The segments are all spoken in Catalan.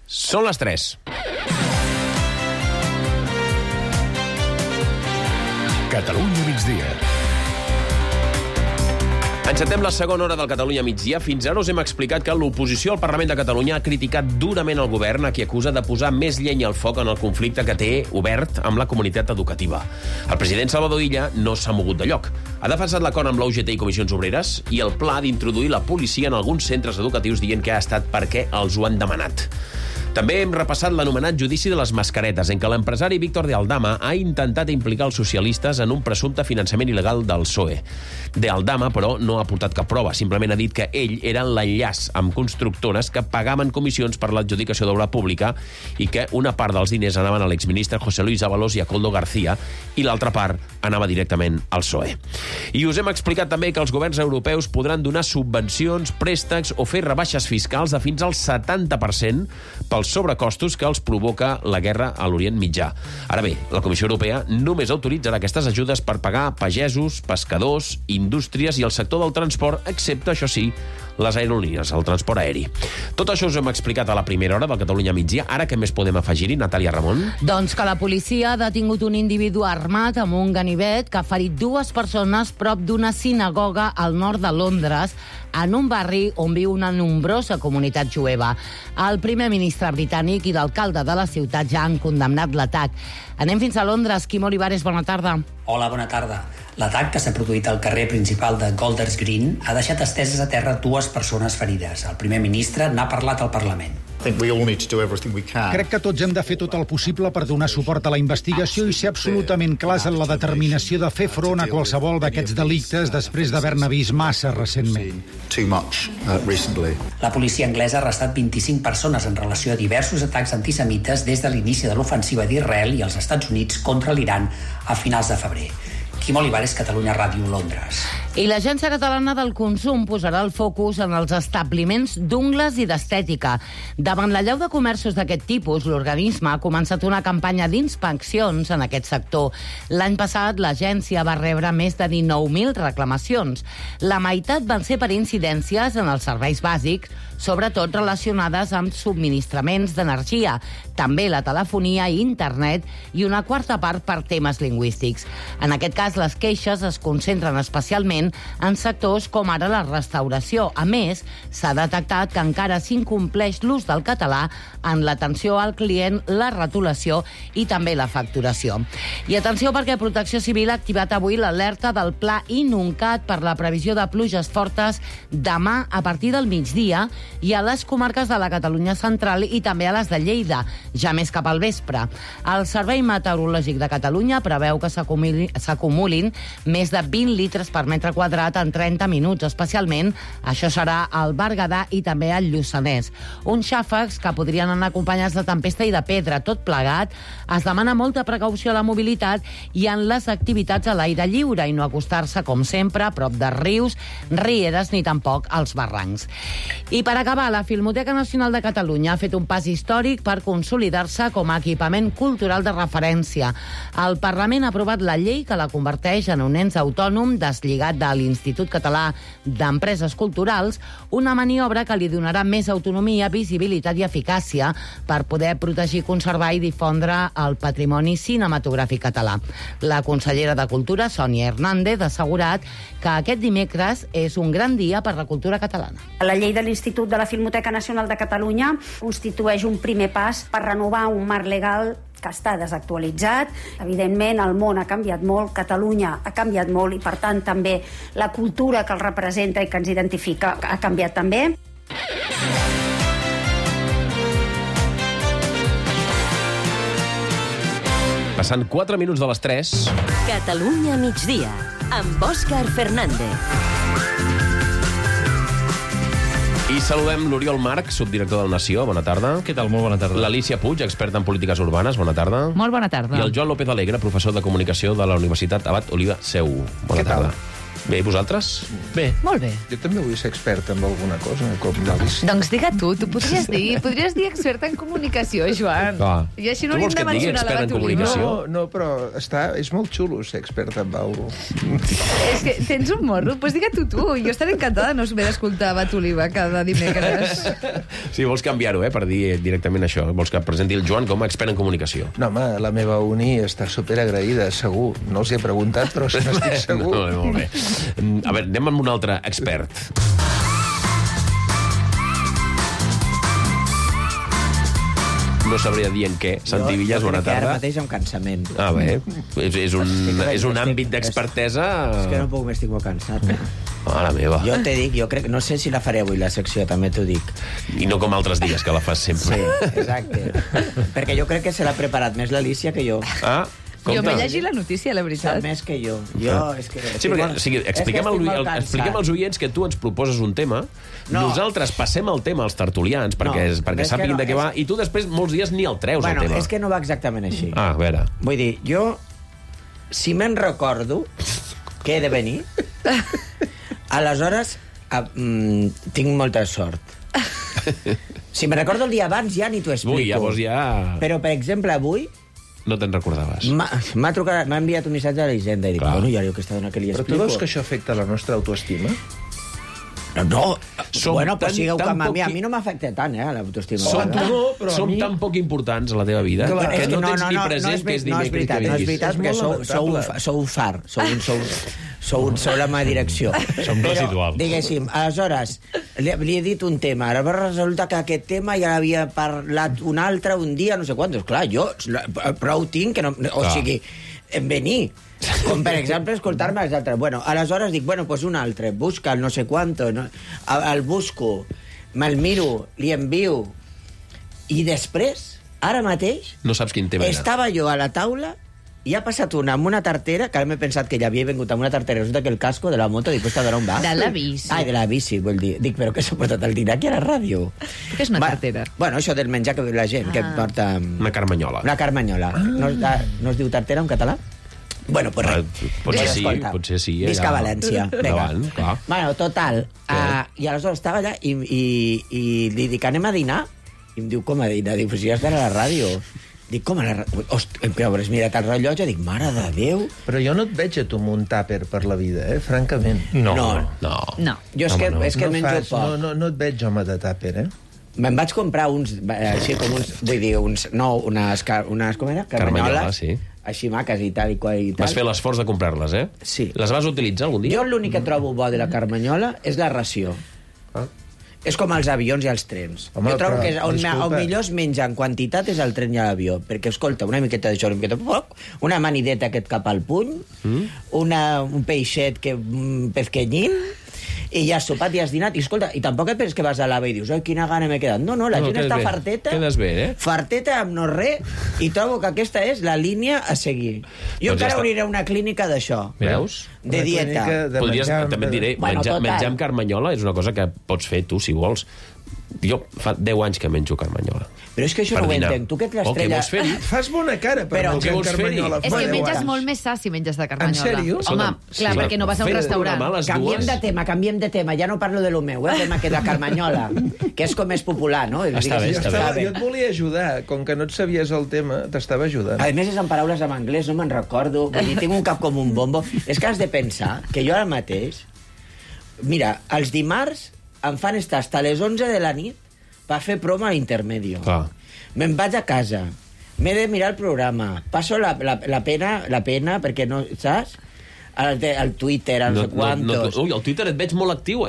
Són les 3. Catalunya migdia. Encetem la segona hora del Catalunya migdia. Fins ara us hem explicat que l'oposició al Parlament de Catalunya ha criticat durament el govern, a qui acusa de posar més llenya al foc en el conflicte que té obert amb la comunitat educativa. El president Salvador Illa no s'ha mogut de lloc. Ha defensat l'acord amb la UGT i Comissions Obreres i el pla d'introduir la policia en alguns centres educatius, dient que ha estat perquè els ho han demanat. També hem repassat l'anomenat judici de les mascaretes, en què l'empresari Víctor de Aldama ha intentat implicar els socialistes en un presumpte finançament il·legal del PSOE. De Aldama, però, no ha aportat cap prova. Simplement ha dit que ell era l'enllaç amb constructores que pagaven comissions per l'adjudicació d'obra pública i que una part dels diners anaven a l'exministre José Luis Ábalos i a Koldo García i l'altra part anava directament al PSOE. I us hem explicat també que els governs europeus podran donar subvencions, préstecs o fer rebaixes fiscals de fins al 70% pels sobrecostos que els provoca la guerra a l'Orient Mitjà. Ara bé, la Comissió Europea només autoritzarà aquestes ajudes per pagar pagesos, pescadors, indústries i el sector del transport, excepte, això sí, les aerolínies, el transport aeri. Tot això us hem explicat a la primera hora del Catalunya migdia. Ara què més podem afegir-hi, Natàlia Ramon? Doncs que la policia ha detingut un individu armat amb un ganivet que ha ferit 2 persones prop d'una sinagoga al nord de Londres, en un barri on viu una nombrosa comunitat jueva. El primer ministre britànic i l'alcalde de la ciutat ja han condemnat l'atac. Anem fins a Londres. Quim Olivares, bona tarda. Hola, bona tarda. L'atac que s'ha produït al carrer principal de Golders Green ha deixat esteses a terra 2 persones ferides. El primer ministre n'ha parlat al Parlament. Crec que tots hem de fer tot el possible per donar suport a la investigació i ser absolutament clars en la determinació de fer front a qualsevol d'aquests delictes després d'haver-ne vist massa recentment. La policia anglesa ha arrestat 25 persones en relació a diversos atacs antisemites des de l'inici de l'ofensiva d'Israel i els Estats Units contra l'Iran a finals de febrer. Quim Olivares, Catalunya Ràdio, Londres. I l'Agència Catalana del Consum posarà el focus en els establiments d'ungles i d'estètica. Davant l'allau de comerços d'aquest tipus, l'organisme ha començat una campanya d'inspeccions en aquest sector. L'any passat, l'agència va rebre més de 19.000 reclamacions. La meitat van ser per incidències en els serveis bàsics, sobretot relacionades amb subministraments d'energia, també la telefonia i internet, i una quarta part per temes lingüístics. En aquest cas, les queixes es concentren especialment en sectors com ara la restauració. A més, s'ha detectat que encara s'incompleix l'ús del català en l'atenció al client, la retolació i també la facturació. I atenció, perquè Protecció Civil ha activat avui l'alerta del Pla Inuncat per la previsió de pluges fortes demà a partir del migdia i a les comarques de la Catalunya central i també a les de Lleida, ja més cap al vespre. El Servei Meteorològic de Catalunya preveu que s'acumulin més de 20 litres per metre quadrat en 30 minuts, especialment això serà al Berguedà i també al Lluçanès. Uns xàfecs que podrien anar acompanyats de tempesta i de pedra. Tot plegat, es demana molta precaució a la mobilitat i en les activitats a l'aire lliure i no acostar-se, com sempre, a prop de rius, rieres ni tampoc als barrancs. I per acabar, la Filmoteca Nacional de Catalunya ha fet un pas històric per consolidar-se com a equipament cultural de referència. El Parlament ha aprovat la llei que la converteix en un ens autònom deslligat de l'Institut Català d'Empreses Culturals, una maniobra que li donarà més autonomia, visibilitat i eficàcia per poder protegir, conservar i difondre el patrimoni cinematogràfic català. La consellera de Cultura, Sònia Hernández, ha assegurat que aquest dimecres és un gran dia per la cultura catalana. La llei de l'Institut de la Filmoteca Nacional de Catalunya constitueix un primer pas per renovar un marc legal que està desactualitzat. Evidentment, el món ha canviat molt, Catalunya ha canviat molt i, per tant, també la cultura que el representa i que ens identifica ha canviat també. Passant 4 minuts de les 3. Catalunya migdia, amb Òscar Fernández. I saludem l'Oriol Marc, subdirector del Nació. Bona tarda. Què tal? Molt bona tarda. L'Alícia Puig, experta en polítiques urbanes. Bona tarda. Molt bona tarda. I el Joan López Alegre, professor de comunicació de la Universitat Abat Oliva Seu. Bona tarda. Bé, vosaltres? Bé. Molt bé. Jo també vull ser expert en alguna cosa, com l'Alice. Doncs digue tu podries dir expert en comunicació, Joan. Clar. I així no Tu li vols hem de que et digui mencionar expert la en Batolina. comunicació? No, però és molt xulo ser expert en alguna cosa. És que tens un morro, doncs digue tu. Jo estaré encantada de no haver d'escoltar Batoliva cada dimecres. Sí, vols canviar-ho, per dir directament això. Vols que presenti el Joan com a expert en comunicació. No, home, la meva uni està superagraïda, segur. No els hi he preguntat, però si n'estic segur. Molt bé. A veure, anem amb un altre expert. No sabria dir en què. Santi Villas, bona tarda. Ara mateix amb cansament. Ah, bé. És un àmbit d'expertesa... És que no puc, m'estic molt cansat. La meva. Jo te dic, jo crec... No sé si la faré avui, la secció, també t'ho dic. I no com altres dies, que la fas sempre. Sí, exacte. Perquè jo crec que se l'ha preparat més l'Alícia que jo. Ah, Jo m'he llegit la notícia, la veritat. Sap més que jo. És que... Sí, perquè expliquem als oients que tu ens proposes un tema, nosaltres passem el tema als tertulians perquè sàpiguin de què va, i tu després molts dies ni el treus, el tema. És que no va exactament així. A veure. Vull dir, jo, si me'n recordo que he de venir, aleshores tinc molta sort. Si me'n recordo el dia abans, ja ni t'ho explico. Ui, llavors ja... Però, per exemple, avui... No te'n recordaves. M'ha trucat, m'ha enviat un missatge a l'Hisenda i dic, bueno, ja aquesta dona que li explico... Però tu veus que això afecta la nostra autoestima? No. Bueno, pues sigueu com a mi. A mi no m'afecta tant, l'autoestima. Som tan poc importants a la teva vida que no tens ni present que és dimecres que vinguis. No és veritat, perquè sou un far. Sou la meva direcció. Som residuals. Diguéssim, aleshores, li he dit un tema, ara resulta que aquest tema ja l'havia parlat un altre un dia, no sé quantos. Clar, jo prou tinc que no... O sigui, venir... Com, per exemple, escoltar-me els altres. Bueno, aleshores dic, pues un altre, busca el no sé quanto, no? El busco, me'l miro, li envio, i després, ara mateix, no saps quin tema era. Estava jo a la taula i ha passat una amb una tartera, que ara m'he pensat que ja havia vingut amb una tartera, resulta que el casco de la moto, dic, pues on va? De la bici. Ai, de la bici, vol dir. Dic, però què s'ha portat el dinar aquí a la ràdio? Què és una tartera? Bueno, això del menjar que la gent que porta... Una carmanyola. Una carmanyola. No es diu tartera en català? Bueno, pues res. Potser sí. Visca València. Endavant, clar. Bueno, total. I aleshores estava allà i li dic, anem a dinar? I em diu, com a dinar? Dic, pues ja estarà a la ràdio. Dic, com a la ràdio? Però hauràs mirat el rellotge? Dic, mare de Déu. Però jo no et veig a tu amb un tàper per la vida, francament. No. Jo és que menjo poc. No et veig home de tàper, Me'n vaig comprar uns, així com uns, vull dir, unes, com era? Carmanyola, sí. Així maques i tal i qual i tal. Vas fer l'esforç de comprar-les, Sí. Les vas utilitzar algun dia? Jo l'únic que trobo bo de la carmanyola és la ració. És com els avions i els trens. Jo trobo que on millor es menja en quantitat és el tren i l'avió, perquè, escolta, una miqueta d'això, una miqueta de poc, una manideta que et cap al puny, un peixet pesquenyín, i ja has sopat i has dinat, i escolta, i tampoc et penses que vas a l'AVE i dius, quina gana m'he quedat. No, la gent està farteta. Quedes bé, Farteta amb no res, i trobo que aquesta és la línia a seguir. Jo encara obriré una clínica d'això. Veus? De dieta. Podries, també et diré, menjar amb carmanyola és una cosa que pots fer tu, si vols. Jo fa 10 anys que menjo carmanyola. Però és que això no ho entenc. Tu que ets l'estrella... Fas bona cara per menjar carmanyola. És que menges molt més sa si menges de carmanyola. En sèrio? Home, clar, perquè no vas a un restaurant. Canviem de tema. Ja no parlo de lo meu, tema que de carmanyola, que és com més popular, no? Està bé. Jo et volia ajudar. Com que no et sabies el tema, t'estava ajudant. A més, és en paraules en anglès, no me'n recordo. Vull dir, tinc un cap com un bombo. És que has de pensar que jo ara mateix... Mira, els dimarts em fan estar hasta les 11 de la nit per fer promo a l'Intermedio. Me'n vaig a casa, m'he de mirar el programa, passo la pena perquè no, saps? El Twitter, no sé quantos... Ui, el Twitter et veig molt actiu,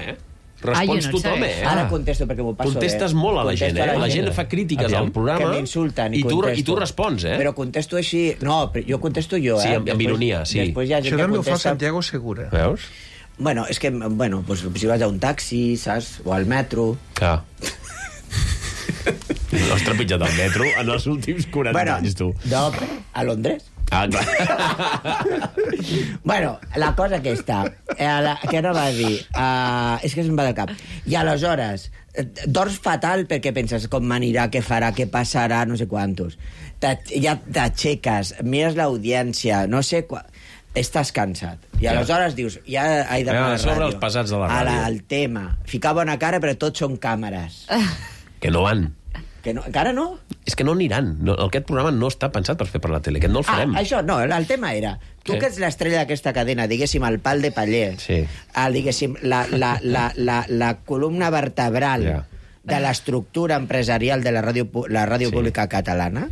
Respons tothom, Ara contesto perquè m'ho passo Contestes molt a la gent, La gent fa crítiques al programa que m'insulten i tu respons, Però contesto així... No, jo contesto jo, Sí, amb ironia, sí. Això també ho fa Santiago Segura. Veus? Bueno, és que, pues, si vas a un taxi, saps? O al metro... Clar. No has trepitjat el metro en els últims 40 anys, tu. No, a Londres. Clar. Bueno, la cosa aquesta, què no va dir? És que se'm va del cap. I aleshores, dors fatal perquè penses com m'anirà, què farà, què passarà, no sé quantos. Ja t'aixeques, mires l'audiència, no sé... estàs cansat. I aleshores dius, ja he d'anar a la sobre ràdio. els pesats de la ràdio. El tema. Ficar bona cara, però tots són càmeres. Que no van. Que no, encara no? És que no aniran. No, aquest programa no està pensat per fer per la tele, aquest no el farem. Això, no, el tema era... Tu que ets l'estrella d'aquesta cadena, diguéssim, el pal de paller, diguéssim, la columna vertebral de l'estructura empresarial de la ràdio pública catalana,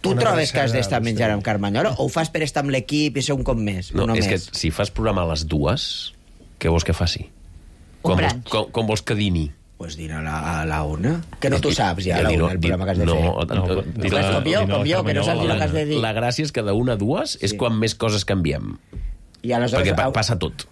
tu trobes que has d'estar menjant amb Carmanyola o ho fas per estar amb l'equip i ser un cop més? No, és que si fas programa a les 2, què vols que faci? Com vols que dini? Pues dir a la una. Que no tu saps ja, el programa que has de fer. Com jo, que no saps el que has de dir. La gràcia és que de 1 a 2 és quan més coses canviem. Perquè passa tot.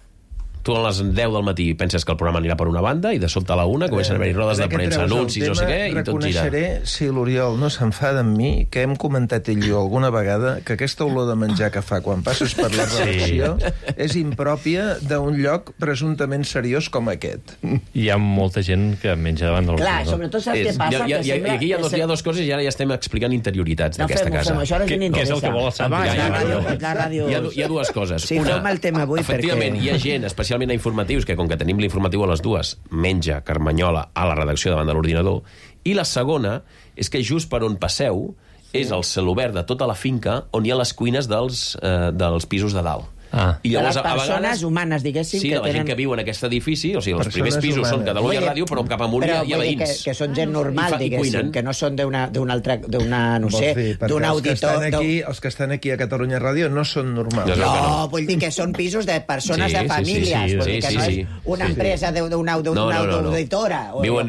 Tu a les 10 del matí penses que el programa anirà per una banda i de sobte a la 1 comencen a haver-hi rodes de premsa, anuncis, no sé què, i tot gira. Reconeixeré, si l'Oriol no s'enfada amb mi, que hem comentat ell i jo alguna vegada que aquesta olor de menjar que fa quan passes per la redacció és impròpia d'un lloc presumptament seriós com aquest. Hi ha molta gent que menja davant del Clar, sobretot saps què passa? I aquí hi ha dues coses i ara ja estem explicant interioritats d'aquesta casa. Què és el que vol el Santi? Hi ha dues coses. Sí, feu-me el tema avui perquè... Efectivament, hi ha gent, especialment a informatius, que com que tenim l'informatiu a les 2, menja Carmanyola a la redacció davant de l'ordinador, i la segona és que just per on passeu és el celobert de tota la finca on hi ha les cuines dels pisos de dalt. I llavors, de les persones humanes, diguéssim, sí, que de la gent que viu en aquest edifici, o sigui, els primers pisos són Catalunya Ràdio, però cap amunt hi ha veïns. Que són gent normal, diguéssim, que no són d'un auditor... Els que estan aquí a Catalunya Ràdio no són normals. No, vull dir que són pisos de persones de famílies, vull dir que no és una empresa d'una auditora. Viuen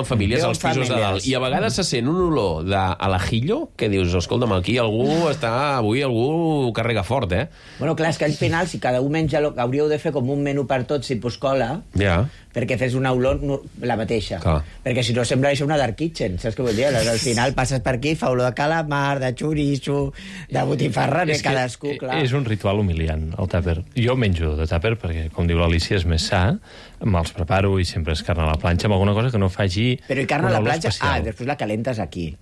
famílies als pisos de dalt. I a vegades se sent un olor a l'ajillo que dius, escolta'm, aquí avui algú carrega fort, eh? Bueno, clar, és que al final, si cada un menja, hauríeu de fer com un menú per tots, si Puscola, perquè fes una olor la mateixa. Perquè si no sembla això una dark kitchen, saps què vull dir? Al final passes per aquí, fa olor de calamar, de xoriço, de botifarra, de cadascú, clar. És un ritual humiliant, el tàper. Jo menjo de tàper perquè, com diu l'Alicia, és més sa, me'ls preparo i sempre és carn a la planxa, amb alguna cosa que no faci Però i carn a la planxa? Després la calentes aquí.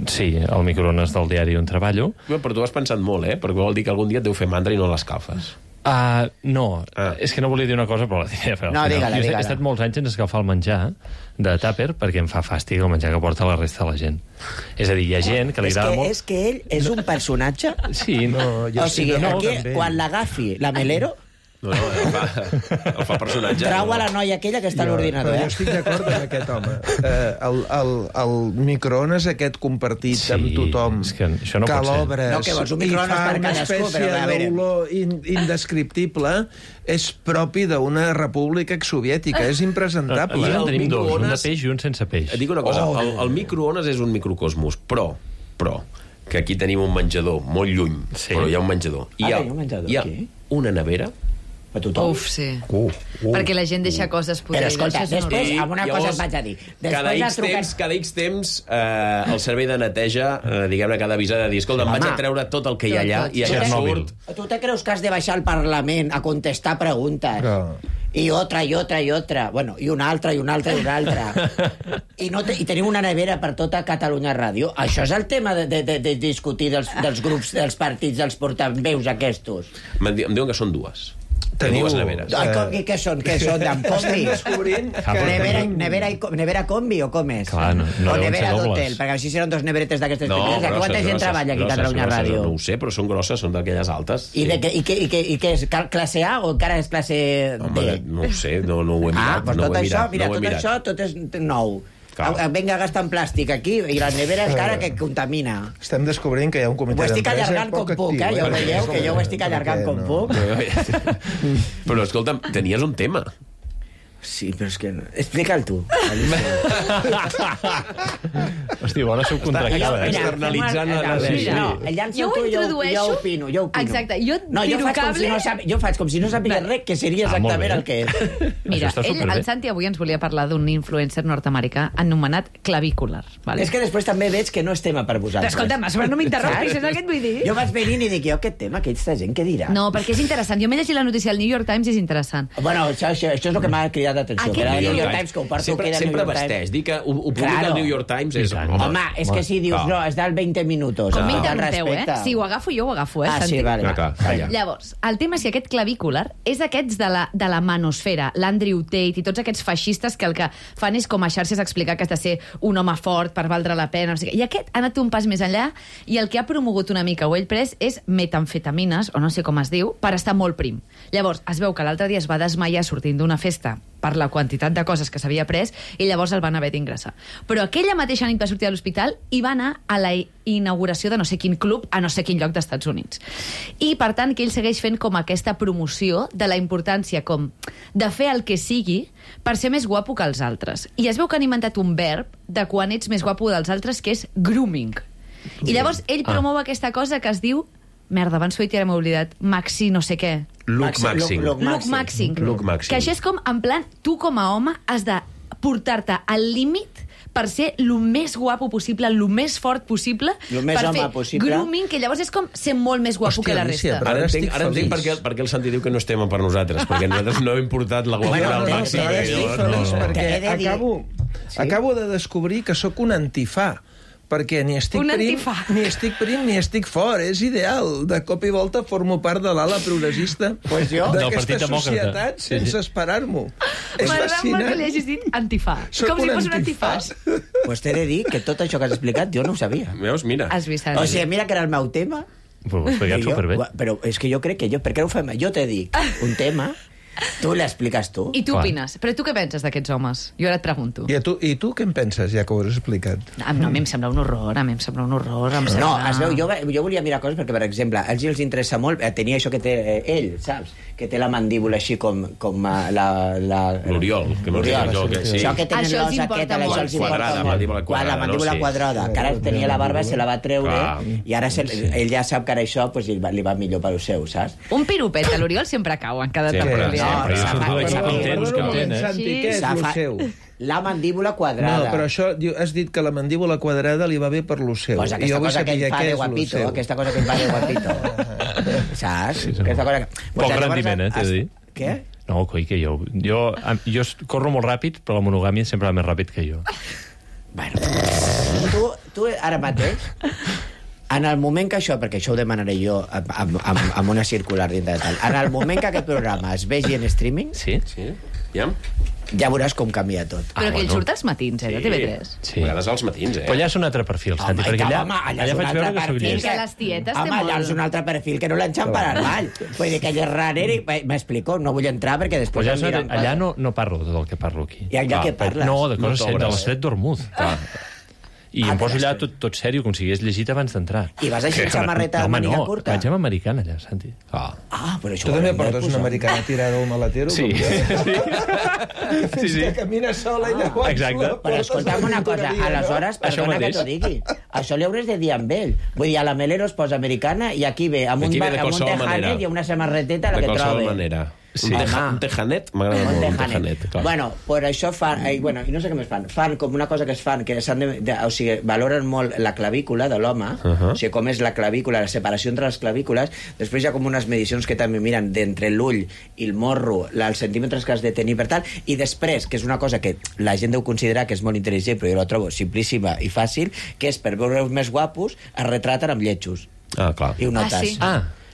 Sí, al microones del diari on treballo. Però tu has pensat molt, perquè vol dir que algun dia et deu fer mandra i no l'escalfes. No, és que no volia dir una cosa, però la diré. No, digue-la. He estat molts anys en escalfar el menjar de tàper perquè em fa fàstic el menjar que porta la resta de la gent. És a dir, hi ha gent que li agrada molt... És que ell és un personatge? Sí, no... O sigui, quan l'agafi la Melero... No, el fa personatge. Trau a la noia aquella que està a l'ordinador. Jo estic d'acord amb aquest home. El microones aquest compartit amb tothom, que l'obres i fa una espècie d'olor indescriptible, és propi d'una república exsoviètica. És impresentable. En tenim dos, un de peix i un sense peix. Et dic una cosa, el microones és un microcosmos, però que aquí tenim un menjador molt lluny, però hi ha un menjador. Hi ha una nevera a tothom. Uf, sí. Perquè la gent deixa coses podrides. Però escolta, després, alguna cosa et vaig a dir. Cada X temps, el servei de neteja, diguem-ne, cada avisar de dir, escolta, em vaig a treure tot el que hi ha allà i allà surt... Tu te creus que has de baixar al Parlament a contestar preguntes? I otra. Bueno, i una altra. I tenim una nevera per tota Catalunya Ràdio. Això és el tema de discutir dels grups, dels partits, dels portaveus aquests. Em diuen que són dues. Dues neveres. Què són? Amb combis? Nevera combi o com és? Clar, o nevera d'hotel? Perquè així seran dos neveretes d'aquestes petites. Quanta gent treballa aquí a Catalunya Ràdio? No ho sé, però són grosses, són d'aquelles altes. I què és? Classe A o encara és classe D? No ho sé, no ho he mirat. Tot això, tot és nou. Vinga, gastant plàstic aquí i la nevera encara que contamina. Estem descobrint que hi ha un comitè d'empresa poc actiu. Ho estic allargant com puc, ja ho veieu, que jo ho estic allargant com puc. Però, escolta'm, tenies un tema. Sí, però és que... Explica'l tu. Hosti, bona subcontractada. Externalitzant la... Jo ho introdueixo. Jo opino. Exacte, jo tiro cable... Jo faig com si no sapigués res, que seria exactament el que és. Mira, el Santi avui ens volia parlar d'un influencer nord-americà anomenat Clavicular. És que després també veig que no és tema per vosaltres. Escolta'm, però no m'interrompis, és el que et vull dir. Jo vaig venint i dic, aquest tema, aquesta gent, què dirà? No, perquè és interessant. Jo m'he llegit la notícia del New York Times i és interessant. Bueno, això és el que m'ha cridat d'atenció. Sempre vesteix. Dir que ho publica el New York Times és Home, és que si dius, no, és del 20 minuts. Com m'intenteu, Si ho agafo jo, ho agafo, sí, vale. Llavors, el tema és que aquest clavícular és d'aquests de la manosfera, l'Andrew Tate i tots aquests feixistes que el que fan és com a xarxes explicar que has de ser un home fort per valdre la pena. I aquest ha anat un pas més enllà i el que ha promogut una mica o ell pres és metamfetamines, o no sé com es diu, per estar molt prim. Llavors, es veu que l'altre dia es va desmaiar sortint d'una festa per la quantitat de coses que s'havia pres i llavors el van haver d'ingressar. Però aquella mateixa nit va sortir a l'hospital i va anar a la inauguració de no sé quin club a no sé quin lloc d'Estats Units. I, per tant, que ell segueix fent com aquesta promoció de la importància com de fer el que sigui per ser més guapo que els altres. I es veu que han inventat un verb de quan ets més guapo dels altres, que és grooming. I llavors ell promou aquesta cosa que es diu... Merda, abans ho he dit i ara m'he oblidat. Maxi no sé què. Look maxing. Que això és com, en plan, tu com a home has de portar-te al límit per ser el més guapo possible, el més fort possible, per fer grooming, que llavors és com ser molt més guapo que la resta. Ara entenc per què el Santi diu que no és tema per nosaltres, perquè nosaltres no hem portat la guapura al màxim. Estic feliç perquè acabo de descobrir que sóc un antifà, perquè ni estic prim ni estic fort. És ideal. De cop i volta formo part de l'ala progressista d'aquesta societat sense esperar-m'ho. És fascinant. Que li hagis dit antifà. Com si fos un antifàs. Pues t'he de dir que tot això que has explicat jo no ho sabia. Veus? Mira. O sigui, mira que era el meu tema. Però ho has explicat superbé. Però és que jo crec que per què no ho fem? Jo te dic un tema... Tu l'expliques tu. I tu opines. Però tu què penses d'aquests homes? Jo ara et pregunto. I tu què en penses, ja que ho has explicat? No, a mi em sembla un horror, No, es veu, jo volia mirar coses perquè, per exemple, a ells els interessa molt, tenia això que té ell, saps? Que té la mandíbula així com l'Oriol. Això que tenen l'os aquest, això els importa molt. La mandíbula quadrada, que ara tenia la barba, se la va treure, i ara ell ja sap que ara això li va millor per lo seu, saps? Un piropet a l'Oriol sempre cau en cada tertúlia. La mandíbula quadrada. No, però això, has dit que la mandíbula quadrada li va bé per lo seu. Pues aquesta cosa que ell fa de guapito, aquesta cosa que ell fa de guapito. Saps? Poc rendiment, t'he de dir. Què? No, coi, que jo corro molt ràpid, però la monogàmia sempre va més ràpid que jo. Bueno, tu ara mateix... En el moment que això, perquè això ho demanaré jo amb una circular dintre de tal, en el moment que aquest programa es vegi en streaming, ja veuràs com canvia tot. Però que ell surt als matins, de TV3. Sí. A vegades als matins, Però allà és un altre perfil, Santi, perquè allà faig veure que soc llest. Que les tietes té molt... allà és un altre perfil que no l'enxampen al ball. Vull dir que ell és rarer i m'explico, no vull entrar perquè després... Allà no parlo de tot el que parlo aquí. I allà què parles? No, de coses de l'Estret d'Hormuz. I em poso allà tot sèrio, com si hagués llegit abans d'entrar. I vas així amb samarreta de màniga curta? Vaig amb americana allà, Santi. Però això... Tu també portes una americana tirada al maletero? Sí. Que camina sola i llavors... Exacte. Però escolta'm una cosa, aleshores, perdona que t'ho digui, això li hauràs de dir amb ell. Vull dir, a la Melero es posa americana i aquí ve amb un tejanet i una samarreteta la que trobe. De qualsevol manera. Sí. Un tejanet, m'agrada molt un tejanet. Bueno, per això fan, i no sé què més fan com una cosa que es fan, que o sigui, valoren molt la clavícula de l'home, o sigui, com és la clavícula, la separació entre les clavícules, després hi ha com unes medicions que també miren d'entre l'ull i el morro, els centímetres que has de tenir per tal, i després, que és una cosa que la gent deu considerar que és molt intel·ligent, però jo la trobo simplíssima i fàcil, que és per veure més guapos, es retraten amb lletjos. Clar. I ho notes.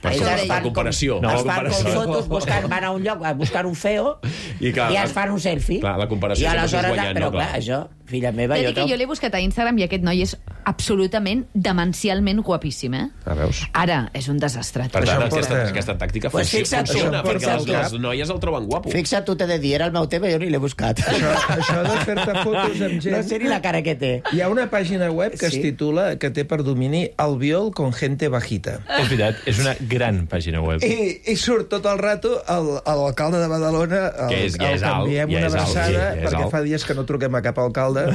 La comparació. Es fan com fotos, van a un lloc a buscar un feo i es fan un selfie. Clar, la comparació sempre és guanyant. Però clar, això, filla meva... Jo l'he buscat a Instagram i aquest noi és absolutament demencialment guapíssim, veus? Ara, és un desastre. Per tant, aquesta tàctica funciona, perquè les noies el troben guapo. Fixa't, tu t'he de dir, era el meu tema, jo ni l'he buscat. Això de fer-te fotos amb gent... No sé ni la cara que té. Hi ha una pàgina web que es titula, que té per domini Albiol con gente bajita. És veritat, és una gran pàgina web. I surt tot el rato l'alcalde de Badalona, el canviem una versada, perquè fa dies que no truquem a cap alcalde.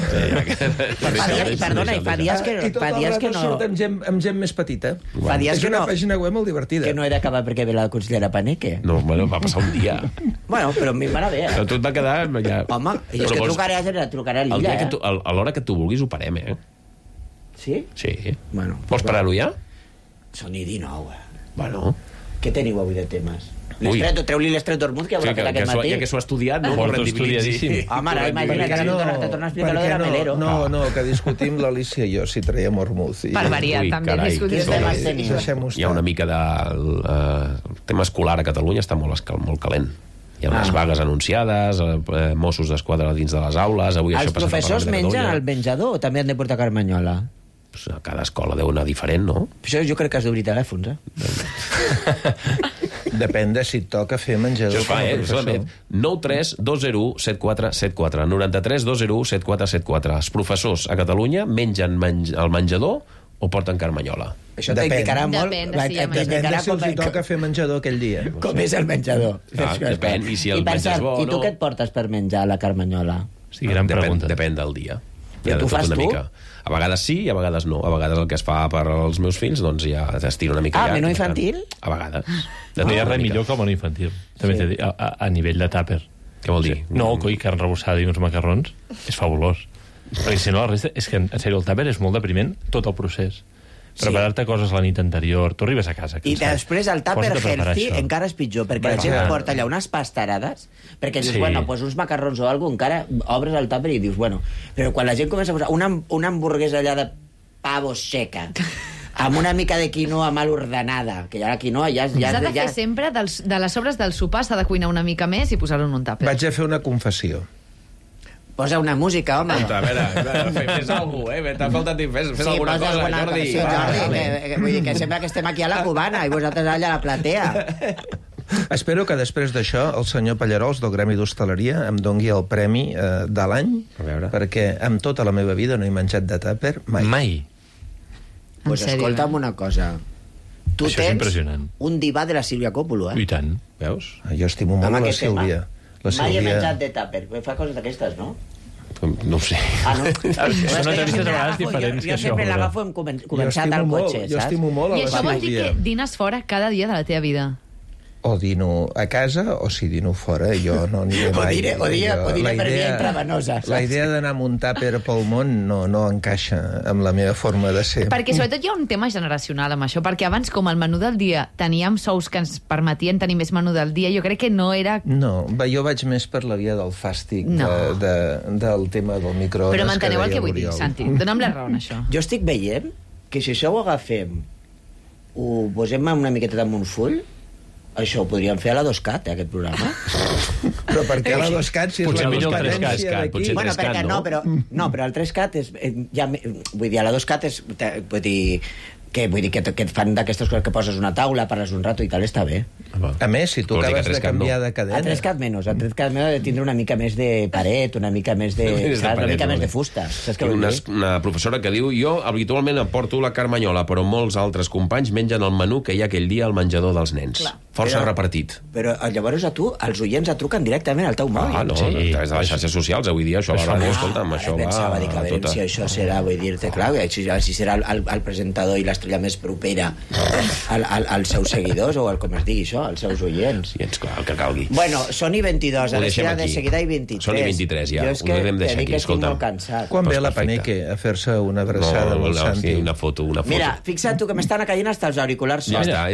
Perdona, i fa dies que no... I tot el rato surt amb gent més petita. Fa dies que no... És una pàgina web molt divertida. Que no he d'acabar perquè ve la consellera Paneque. No, bueno, va passar un dia. Bueno, però a mi m'anava bé, Però tu et va quedar... Home, és que trucaré a l'illa, a l'hora que tu vulguis ho parem, Sí? Sí. Bueno. Vols parar-ho ja? Són i 19, Bueno... Què teniu avui de temes? Treu-li l'estret d'Ormuz, que haurà fet aquest matí. Ja que s'ho ha estudiat, no? Porto estudiadíssim. Home, ara imagina que te torna a explicar lo de la Melero. No, que discutim l'Alicia i jo si traiem Ormuz. Per variar, també discutim. Hi ha una mica de... El tema escolar a Catalunya està molt calent. Hi ha unes vagues anunciades, Mossos d'Esquadra dins de les aules... Els professors mengen al menjador o també han de portar carmanyola? A cada escola deu anar diferent, no? Això jo crec que has d'obrir telèfons, Depèn de si et toca fer menjador com a professor. 93-201-7474. 93-201-7474. Els professors a Catalunya mengen al menjador o porten carmanyola? Això t'indicarà molt... Depèn de si els toca fer menjador aquell dia. Com és el menjador. Depèn, i si el menjar és bo o no... I tu què et portes per menjar la carmanyola? Sí, gran pregunta. Depèn del dia. I tu fas tu? A vegades sí i a vegades no. A vegades el que es fa per als meus fills, doncs ja t'estira una mica. Menú infantil? A vegades. No hi ha res millor que el menú infantil. També t'he dit, a nivell de tàper. Què vol dir? No, coi, carn rebossada i uns macarrons. És fabulós. Perquè si no, la resta... És que, en sèrio, el tàper és molt depriment, tot el procés. Preparar-te coses la nit anterior, tu arribes a casa cansat. I després el tàper healthy encara és pitjor, perquè la gent porta allà unes pastarades, perquè dius, bueno, pues uns macarrons o alguna cosa, encara obres el tàper i dius, bueno, però quan la gent comença a posar una hamburguesa allà de pavo seca, amb una mica de quinoa mal ordenada, que ja la quinoa ja... S'ha de fer sempre, de les sobres del sopar, s'ha de cuinar una mica més i posar-ho en un tàper. Vaig a fer una confessió. Posa una música, home. A veure, fes alguna cosa, T'ha faltat dir, fes alguna cosa, Jordi. Sí, Jordi, vull dir que sembla que estem aquí a la Cubana i vosaltres allà a la platea. Espero que després d'això el senyor Pallarols del Gremi d'Hostaleria em dongui el premi de l'any, perquè amb tota la meva vida no he menjat de tàper mai. Pues escolta'm una cosa. Tu tens un divà de la Sílvia Coppolo, I tant. Veus? Jo estimo molt la Sílvia. Mai he menjat de tàper. Fa coses d'aquestes, no? No ho sé. Ah, no? Són entrevistes a vegades diferents que això. Jo sempre l'agafo començat al cotxe, saps? Jo estimo molt a la Sílvia. I això vol dir que dines fora cada dia de la teva vida? O dino a casa o si dino fora, jo no aniré mai. O diré per via intravenosa. La idea d'anar amb un tàper pel món no encaixa amb la meva forma de ser. Perquè sobretot hi ha un tema generacional amb això, perquè abans, com el menú del dia, teníem sous que ens permetien tenir més menú del dia, jo crec que no era... No, jo vaig més per la via del fàstic, del tema del microones. Però m'enteneu el que vull dir, Santi. Dóna'm la raó en això. Jo estic veient que si això ho agafem, ho posem una miqueta damunt un full, això ho podríem fer a la 2CAT, aquest programa. Però per què a la 2CAT, si és potser la millor el competència d'aquí? Bueno, perquè no, però el 3CAT és... Vull dir, a la 2CAT és... Vull dir que et fan d'aquestes coses que poses una taula, parles un rato i tal, està bé. A més, si tu acabes de canviar de cadena... A 3CAT menys. A 3CAT menys de tindre una mica més de paret, una mica més de... Una mica més de fusta. Una professora que diu, jo habitualment aporto la carmanyola, però molts altres companys mengen el menú que hi ha aquell dia al menjador dels nens. Força repartit. Però llavors a tu, els oients et truquen directament al teu mòbil. No, a través de les xarxes socials, avui dia, això va, escolta'm, això va... Pensava dir que a veure si això serà, vull dir-te, clar, si serà el presentador i l'estrella més propera als seus seguidors, o com es digui això, als seus oients. Sí, clar, el que calgui. Bueno, són i 22, a l'esquina de seguida i 23. Són i 23, ja. Jo és que te dic que estic molt cansat. Quan ve la Paneque a fer-se una abraçada amb el Santi? Una foto. Mira, fixa't tu que m'estan caient hasta els auriculars. Ja està, O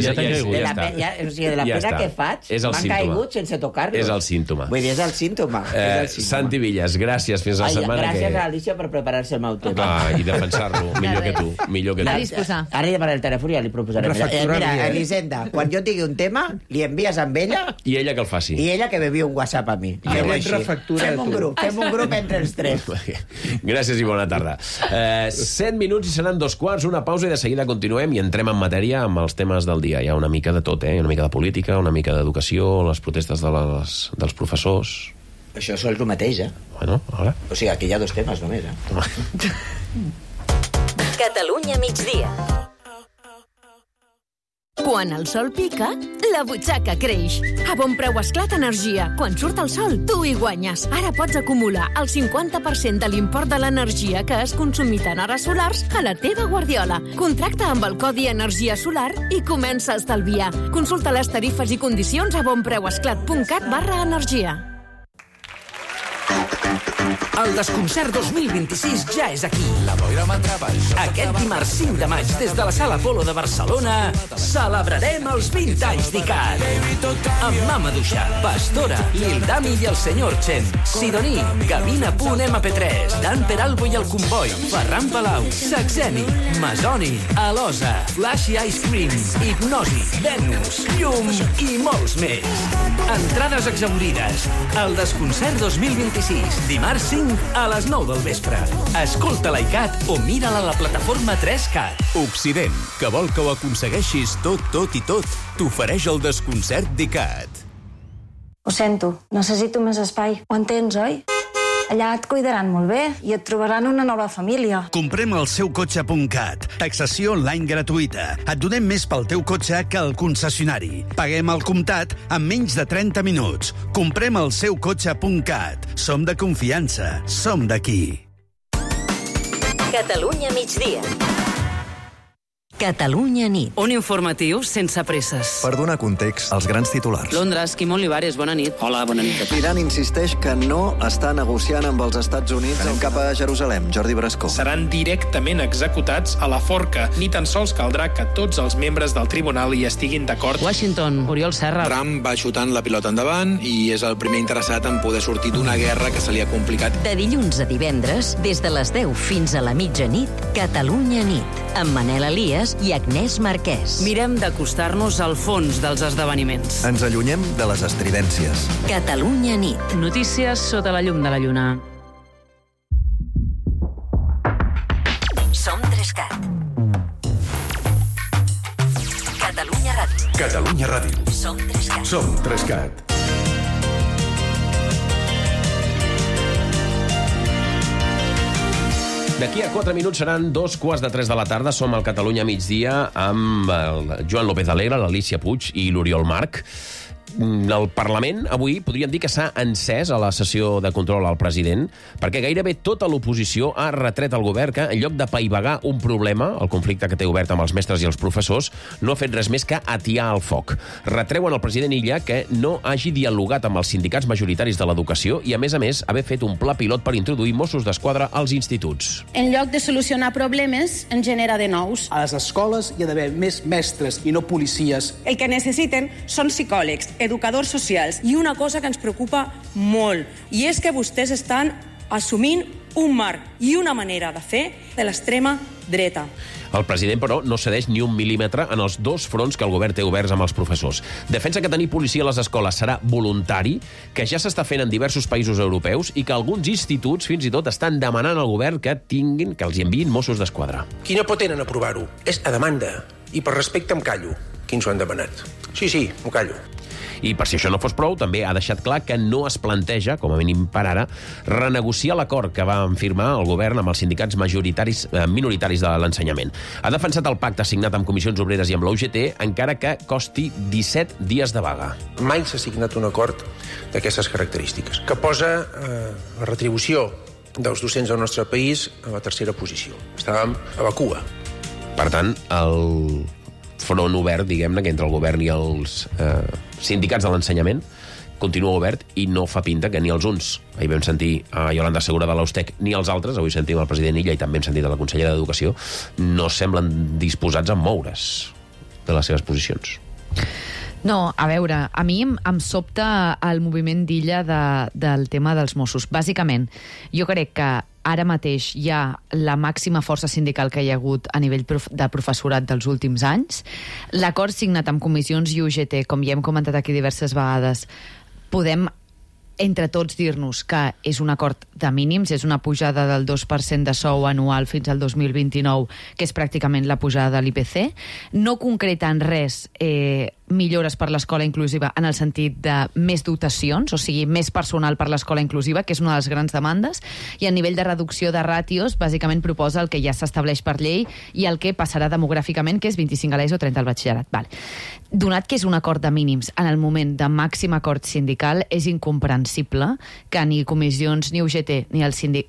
sigui, de la pena que faig, m'han caigut sense tocar-los. És el símptoma. Vull dir, és el símptoma. Santi Villas, gràcies. Fins la setmana que... Gràcies a Alicia per preparar-se el meu tema. I defensar-lo. Millor que tu. A disposar. Ara llevaré el telèfon i ja li proposaré. Mira, Elisenda, quan jo tingui un tema, li envies amb ella... I ella que el faci. I ella que bevi un WhatsApp a mi. Fem un grup entre els tres. Gràcies i bona tarda. 7 minuts i seran 2:15, una pausa i de seguida continuem i entrem en matèria amb els temes del dia. Hi ha una mica de tot, una mica de política, una mica d'educació, les protestes dels professors... Això és el mateix, Bueno, ara... O sigui, aquí hi ha 2 temes només, Catalunya migdia. Quan el sol pica, la butxaca creix. A Bon Preu Esclat Energia. Quan surt el sol, tu hi guanyes. Ara pots acumular el 50% de l'import de l'energia que has consumit en hores solars a la teva guardiola. Contracta amb el codi Energia Solar i comença a estalviar. Consulta les tarifes i condicions a bonpreuesclat.cat/energia. El Desconcert 2026 ja és aquí. Aquest dimarts 5 de maig, des de la Sala Apolo de Barcelona, celebrarem els 20 anys d'ICAT. Amb Mama Duixa, Pastora, Lil Dami i el Senyor Chen, Sidoní, Gavina.mp3, Dan Peralbo i el Comboi, Ferran Palau, Saxeni, Masoni, Alosa, Flashy Ice Cream, Hipnosi, Venus, Llum i molts més. Entrades exaurides. El Desconcert 2026, dimarts 5 a les 9 del vespre. Escolta l'ICAT o mira-la a la plataforma 3CAT. Occident, que vol que ho aconsegueixis tot i tot, t'ofereix el Desconcert d'ICAT. Ho sento, necessito més espai. Ho entens, oi? Allà et cuidaran molt bé i et trobaran una nova família. Comprem el seukotxe.cat. Taxació online gratuïta. Et donem més pel teu cotxe que al concessionari. Paguem al comptat en menys de 30 minuts. Comprem el seukotxe.cat. Som de confiança. Som d'aquí. Catalunya migdia. Catalunya nit. Un informatiu sense presses. Per donar context als grans titulars. Londres, Quim Olivares, bona nit. Hola, bona nit. Iran insisteix que no està negociant amb els Estats Units. Anem cap a Jerusalem. Jordi Brascó. Seran directament executats a la forca. Ni tan sols caldrà que tots els membres del tribunal hi estiguin d'acord. Washington, Oriol Serra. Trump va xutant la pilota endavant i és el primer interessat en poder sortir d'una guerra que se li ha complicat. De dilluns a divendres, des de les 10 fins a la mitjanit, Catalunya nit, amb Manel Elias i Agnès Marquès. Mirem d'acostar-nos al fons dels esdeveniments. Ens allunyem de les estridències. Catalunya nit. Notícies sota la llum de la lluna. Som 3CAT. Catalunya Ràdio. Catalunya Ràdio. Som 3CAT. Som 3CAT. D'aquí a 4 minuts seran 2:15 de la tarda. Som al Catalunya migdia amb el Joan López Alegre, l'Alícia Puig i l'Oriol Marc. El Parlament avui podríem dir que s'ha encès a la sessió de control al president perquè gairebé tota l'oposició ha retret al govern que, en lloc de paivagar un problema, el conflicte que té obert amb els mestres i els professors, no ha fet res més que atiar el foc. Retreuen al president Illa que no hagi dialogat amb els sindicats majoritaris de l'educació i, a més, haver fet un pla pilot per introduir Mossos d'Esquadra als instituts. En lloc de solucionar problemes, en genera de nous. A les escoles hi ha d'haver més mestres i no policies. El que necessiten són psicòlegs, educadors socials i una cosa que ens preocupa molt, i és que vostès estan assumint un marc i una manera de fer de l'extrema dreta. El president, però, no cedeix ni un mil·límetre en els 2 fronts que el govern té oberts amb els professors. Defensa que tenir policia a les escoles serà voluntari, que ja s'està fent en diversos països europeus i que alguns instituts, fins i tot, estan demanant al govern que els enviïn Mossos d'Esquadra. Qui no pot tenen aprovar-ho és a demanda, i per respecte em callo. Quins ho han demanat? Sí, m'ho callo. I per si això no fos prou, també ha deixat clar que no es planteja, com a mínim per ara, renegociar l'acord que va firmar el govern amb els sindicats minoritaris de l'ensenyament. Ha defensat el pacte signat amb Comissions Obreres i amb la UGT, encara que costi 17 dies de vaga. Mai s'ha signat un acord d'aquestes característiques, que posa la retribució dels docents del nostre país a la 3a posició. Estàvem a la cua. Per tant, el front obert, diguem-ne, que entre el govern i els sindicats de l'ensenyament continua obert i no fa pinta que ni els uns, ahir vam sentir a Yolanda Segura de l'Austec, ni els altres, avui sentim el president Illa i també hem sentit a la consellera d'Educació, no semblen disposats a moure's de les seves posicions. No, a veure, a mi em sobta el moviment d'Illa del tema dels Mossos. Bàsicament, jo crec que ara mateix hi ha la màxima força sindical que hi ha hagut a nivell de professorat dels últims anys. L'acord signat amb comissions i UGT, com ja hem comentat aquí diverses vegades, podem entre tots dir-nos que és un acord de mínims, és una pujada del 2% de sou anual fins al 2029, que és pràcticament la pujada de l'IPC. No concreta en res millores per l'escola inclusiva en el sentit de més dotacions, o sigui, més personal per l'escola inclusiva, que és una de les grans demandes, i a nivell de reducció de ràtios, bàsicament proposa el que ja s'estableix per llei i el que passarà demogràficament, que és 25 a l'ESO o 30 al batxillerat. Vale. Donat que és un acord de mínims en el moment de màxim acord sindical, és incomprensible que ni comissions, ni UGT,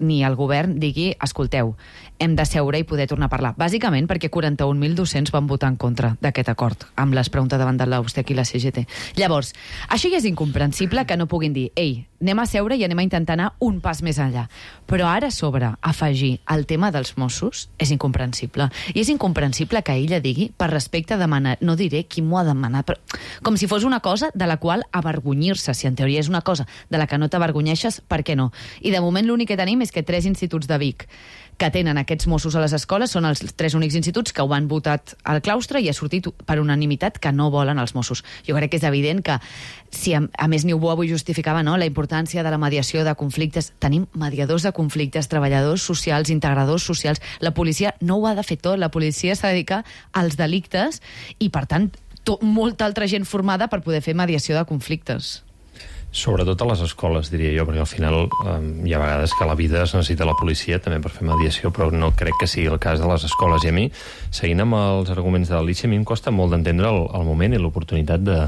ni el govern digui, escolteu, hem de seure i poder tornar a parlar. Bàsicament perquè 41.000 docents van votar en contra d'aquest acord amb les preguntes davant de l'USTEC i la CGT. Llavors, això ja és incomprensible que no puguin dir ei, anem a seure i anem a intentar anar un pas més enllà. Però ara a sobre afegir el tema dels Mossos és incomprensible. I és incomprensible que ella digui per respecte a demanar, no diré qui m'ho ha demanat, però com si fos una cosa de la qual avergonyir-se. Si en teoria és una cosa de la que no t'avergonyeixes, per què no? I de moment l'únic que tenim és que 3 instituts de Vic que tenen aquests Mossos a les escoles són els 3 únics instituts que ho han votat al claustre i ha sortit per unanimitat que no volen els Mossos. Jo crec que és evident que, si a més Niubó avui justificava la importància de la mediació de conflictes, tenim mediadors de conflictes, treballadors socials, integradors socials. La policia no ho ha de fer tot, la policia s'ha de dedicar als delictes i, per tant, molta altra gent formada per poder fer mediació de conflictes. Sobretot a les escoles, diria jo, perquè al final hi ha vegades que a la vida es necessita la policia també per fer mediació, però no crec que sigui el cas de les escoles. I a mi, seguint amb els arguments de l'Alícia, a mi em costa molt d'entendre el moment i l'oportunitat de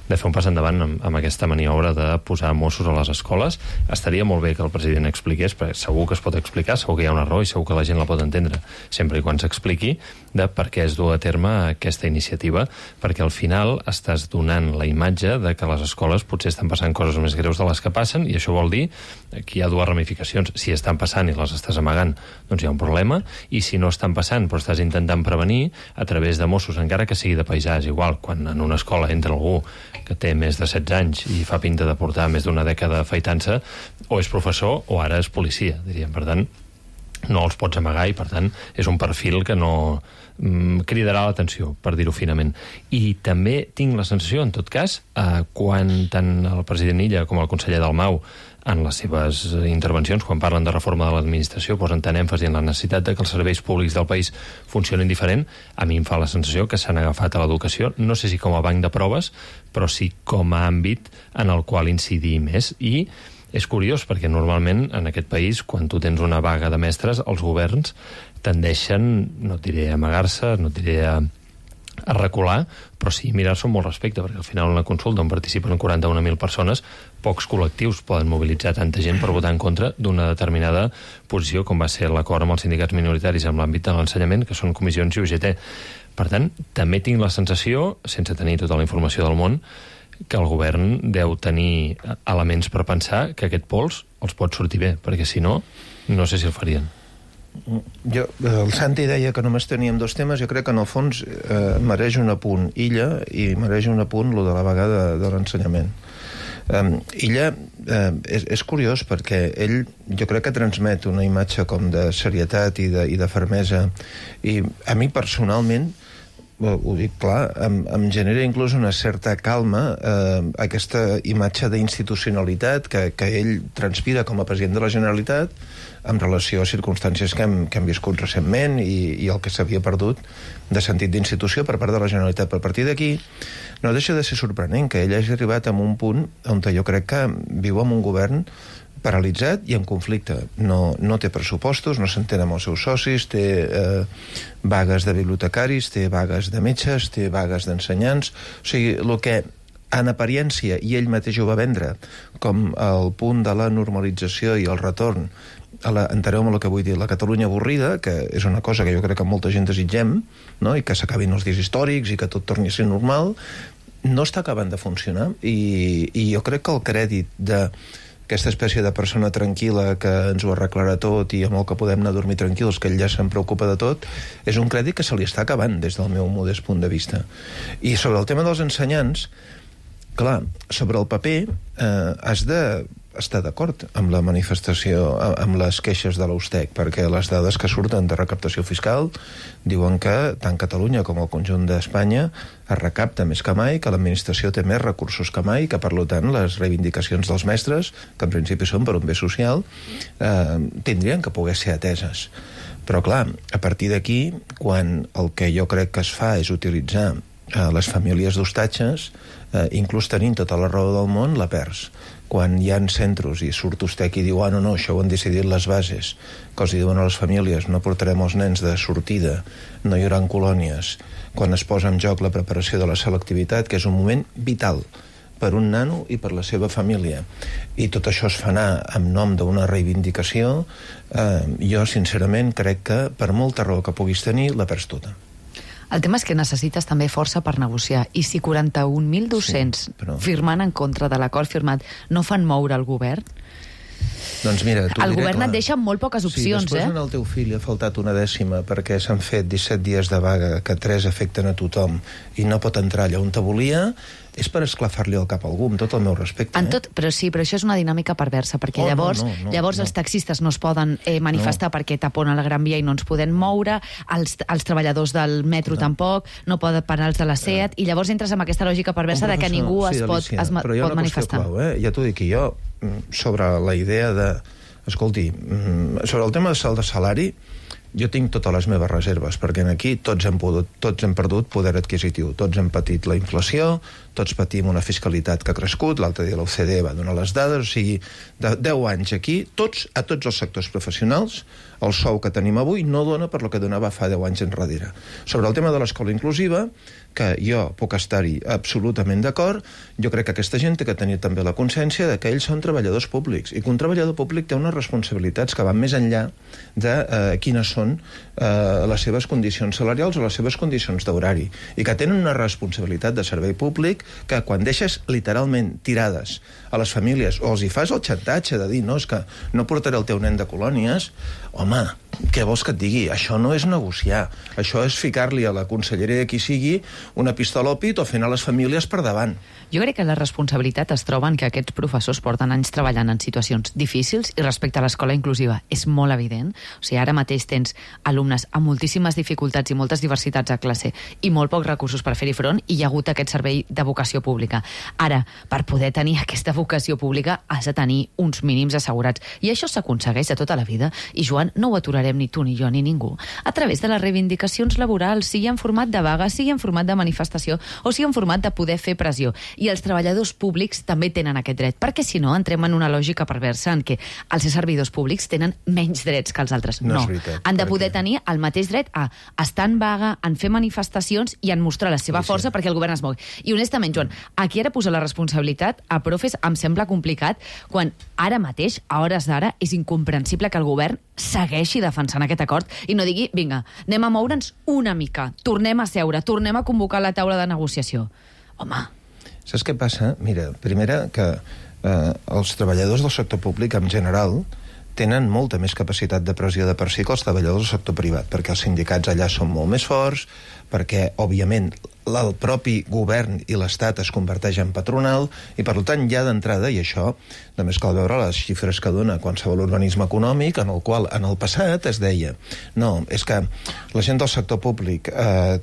fer un pas endavant amb aquesta maniobra de posar Mossos a les escoles. Estaria molt bé que el president expliqués, perquè segur que es pot explicar, segur que hi ha una raó i segur que la gent la pot entendre, sempre i quan s'expliqui de per què es du a terme aquesta iniciativa, perquè al final estàs donant la imatge de que a les escoles potser estan passant coses més greus de les que passen, i això vol dir que hi ha 2 ramificacions. Si estan passant i les estàs amagant, doncs hi ha un problema, i si no estan passant però estàs intentant prevenir a través de Mossos, encara que sigui de paisà, és igual, quan en una escola entra algú que té més de 16 anys i fa pinta de portar més d'una dècada afaitant-se, o és professor o ara és policia, diríem. Per tant, no els pots amagar i, per tant, és un perfil que no cridarà l'atenció, per dir-ho finament. I també tinc la sensació, en tot cas, quan tant el president Illa com el conseller Dalmau en les seves intervencions, quan parlen de reforma de l'administració, posen tant èmfasi en la necessitat de que els serveis públics del país funcionin diferent. A mi em fa la sensació que s'han agafat a l'educació, no sé si com a banc de proves, però sí com a àmbit en el qual incidir més. I és curiós, perquè normalment en aquest país, quan tu tens una vaga de mestres, els governs tendeixen, no et diré a amagar-se, no et diré a recular, però sí mirar-se amb molt respecte, perquè al final en la consulta on participen 41.000 persones, pocs col·lectius poden mobilitzar tanta gent per votar en contra d'una determinada posició, com va ser l'acord amb els sindicats minoritaris en l'àmbit de l'ensenyament, que són comissions i UGT. Per tant, també tinc la sensació, sense tenir tota la informació del món, que el govern deu tenir elements per pensar que aquest pols els pot sortir bé, perquè si no, no sé si el farien. El Santi deia que només teníem 2 temes. Jo crec que en el fons mereix un apunt Illa i mereix un apunt lo de la vaga de l'ensenyament. Illa és curiós perquè ell, jo crec que transmet una imatge com de serietat i de fermesa, i a mi personalment, ho dic clar, em genera inclús una certa calma aquesta imatge d'institucionalitat que ell transpira com a president de la Generalitat en relació a circumstàncies que hem viscut recentment i el que s'havia perdut de sentit d'institució per part de la Generalitat. Per partir d'aquí, no deixa de ser sorprenent que ell hagi arribat a un punt on jo crec que viu amb un govern paralitzat i en conflicte. No té pressupostos, no s'entén amb els seus socis, té vagues de bibliotecaris, té vagues de metges, té vagues d'ensenyants. O sigui, el que en apariència, i ell mateix ho va vendre com el punt de la normalització i el retorn enteneu-me el que vull dir, la Catalunya avorrida, que és una cosa que jo crec que molta gent desitgem, no? I que s'acabin els dies històrics i que tot torni a ser normal, no està acabant de funcionar, i jo crec que el crèdit d'aquesta espècie de persona tranquil·la que ens ho arreglarà tot i amb el que podem anar a dormir tranquils, que ell ja se'n preocupa de tot, és un crèdit que se li està acabant des del meu modest punt de vista. I sobre el tema dels ensenyants, clar, sobre el paper has de estar d'acord amb la manifestació, amb les queixes de l'USTEC, perquè les dades que surten de recaptació fiscal diuen que tant Catalunya com el conjunt d'Espanya es recapta més que mai, que l'administració té més recursos que mai, que per tant les reivindicacions dels mestres, que en principi són per un bé social, tindrien que poder ser ateses. Però clar, a partir d'aquí, quan el que jo crec que es fa és utilitzar les famílies d'hostatges, inclús tenint tota la raó del món, la perds. Quan hi ha centres i surt USTEC i diu no, això ho han decidit les bases, que els diuen a les famílies no portarem els nens de sortida, no hi haurà colònies, quan es posa en joc la preparació de la selectivitat, que és un moment vital per un nano i per la seva família. I tot això es fa anar en nom d'una reivindicació. Jo, sincerament, crec que per molta raó que puguis tenir, la perds tota. El tema és que necessites també força per negociar. I si 41.200 firmant en contra de l'acord firmat no fan moure el govern, doncs mira, el govern et deixa amb molt poques opcions. Si després al teu fill ha faltat una dècima perquè s'han fet 17 dies de vaga, que 3 afecten a tothom, i no pot entrar allà on te volia, és per esclafar-li el cap a algú, amb tot el meu respecte. Però això és una dinàmica perversa, perquè llavors els taxistes no es poden manifestar perquè taponen la Gran Via i no ens podem moure, els treballadors del metro tampoc, no poden parar els de la SEAT, i llavors entres en aquesta lògica perversa de que ningú es pot manifestar. Però hi ha una qüestió clau, ja t'ho dic, jo, sobre la idea de... Escolti, sobre el tema del salari, jo tinc totes les meves reserves, perquè aquí tots hem perdut poder adquisitiu, tots hem patit la inflació, tots patim una fiscalitat que ha crescut, l'altre dia l'OCDE va donar les dades, o sigui, de 10 anys aquí, a tots els sectors professionals, el sou que tenim avui no dona per lo que donava fa 10 anys enrere. Sobre el tema de l'escola inclusiva, que jo puc estar-hi absolutament d'acord, jo crec que aquesta gent té que tenir també la consciència de que ells són treballadors públics, i que un treballador públic té unes responsabilitats que van més enllà de quines són les seves condicions salarials o les seves condicions d'horari, i que tenen una responsabilitat de servei públic que quan deixes literalment tirades a les famílies, o els hi fas el xantatge de dir, no, és que no portaré el teu nen de colònies, home, què vols que et digui? Això no és negociar, això és ficar-li a la conselleria de qui sigui una pistola al pit o fent a les famílies per davant. Jo crec que la responsabilitat es troba en que aquests professors porten anys treballant en situacions difícils, i respecte a l'escola inclusiva és molt evident. O sigui, ara mateix tens alumnes amb moltíssimes dificultats i moltes diversitats a classe i molt pocs recursos per fer-hi front, i hi ha hagut aquest servei de vocació pública. Ara, per poder tenir aquesta vocació pública has de tenir uns mínims assegurats, i això s'aconsegueix de tota la vida, i Joan, no ho aturarem ni tu, ni jo, ni ningú, a través de les reivindicacions laborals, sigui en format de vaga, sigui en format de manifestació, o sigui en format de poder fer pressió. I els treballadors públics també tenen aquest dret, perquè si no entrem en una lògica perversa en què els servidors públics tenen menys drets que els altres. No, han de poder tenir el mateix dret a estar en vaga, en fer manifestacions i en mostrar la seva força perquè el govern es mogui. I honestament, Joan, aquí ara posar la responsabilitat a profes em sembla complicat, quan ara mateix, a hores d'ara, és incomprensible que el govern segueixi defensant aquest acord i no digui, vinga, anem a moure'ns una mica, tornem a seure, tornem a convocar la taula de negociació. Home... Saps què passa? Mira, primera, que els treballadors del sector públic, en general, tenen molta més capacitat de pressió de per si que els treballadors del sector privat, perquè els sindicats allà són molt més forts, perquè, òbviament, el propi govern i l'Estat es converteix en patronal, i per tant ja d'entrada, i això només cal veure les xifres que dona qualsevol organisme econòmic, en el qual en el passat es deia no, és que la gent del sector públic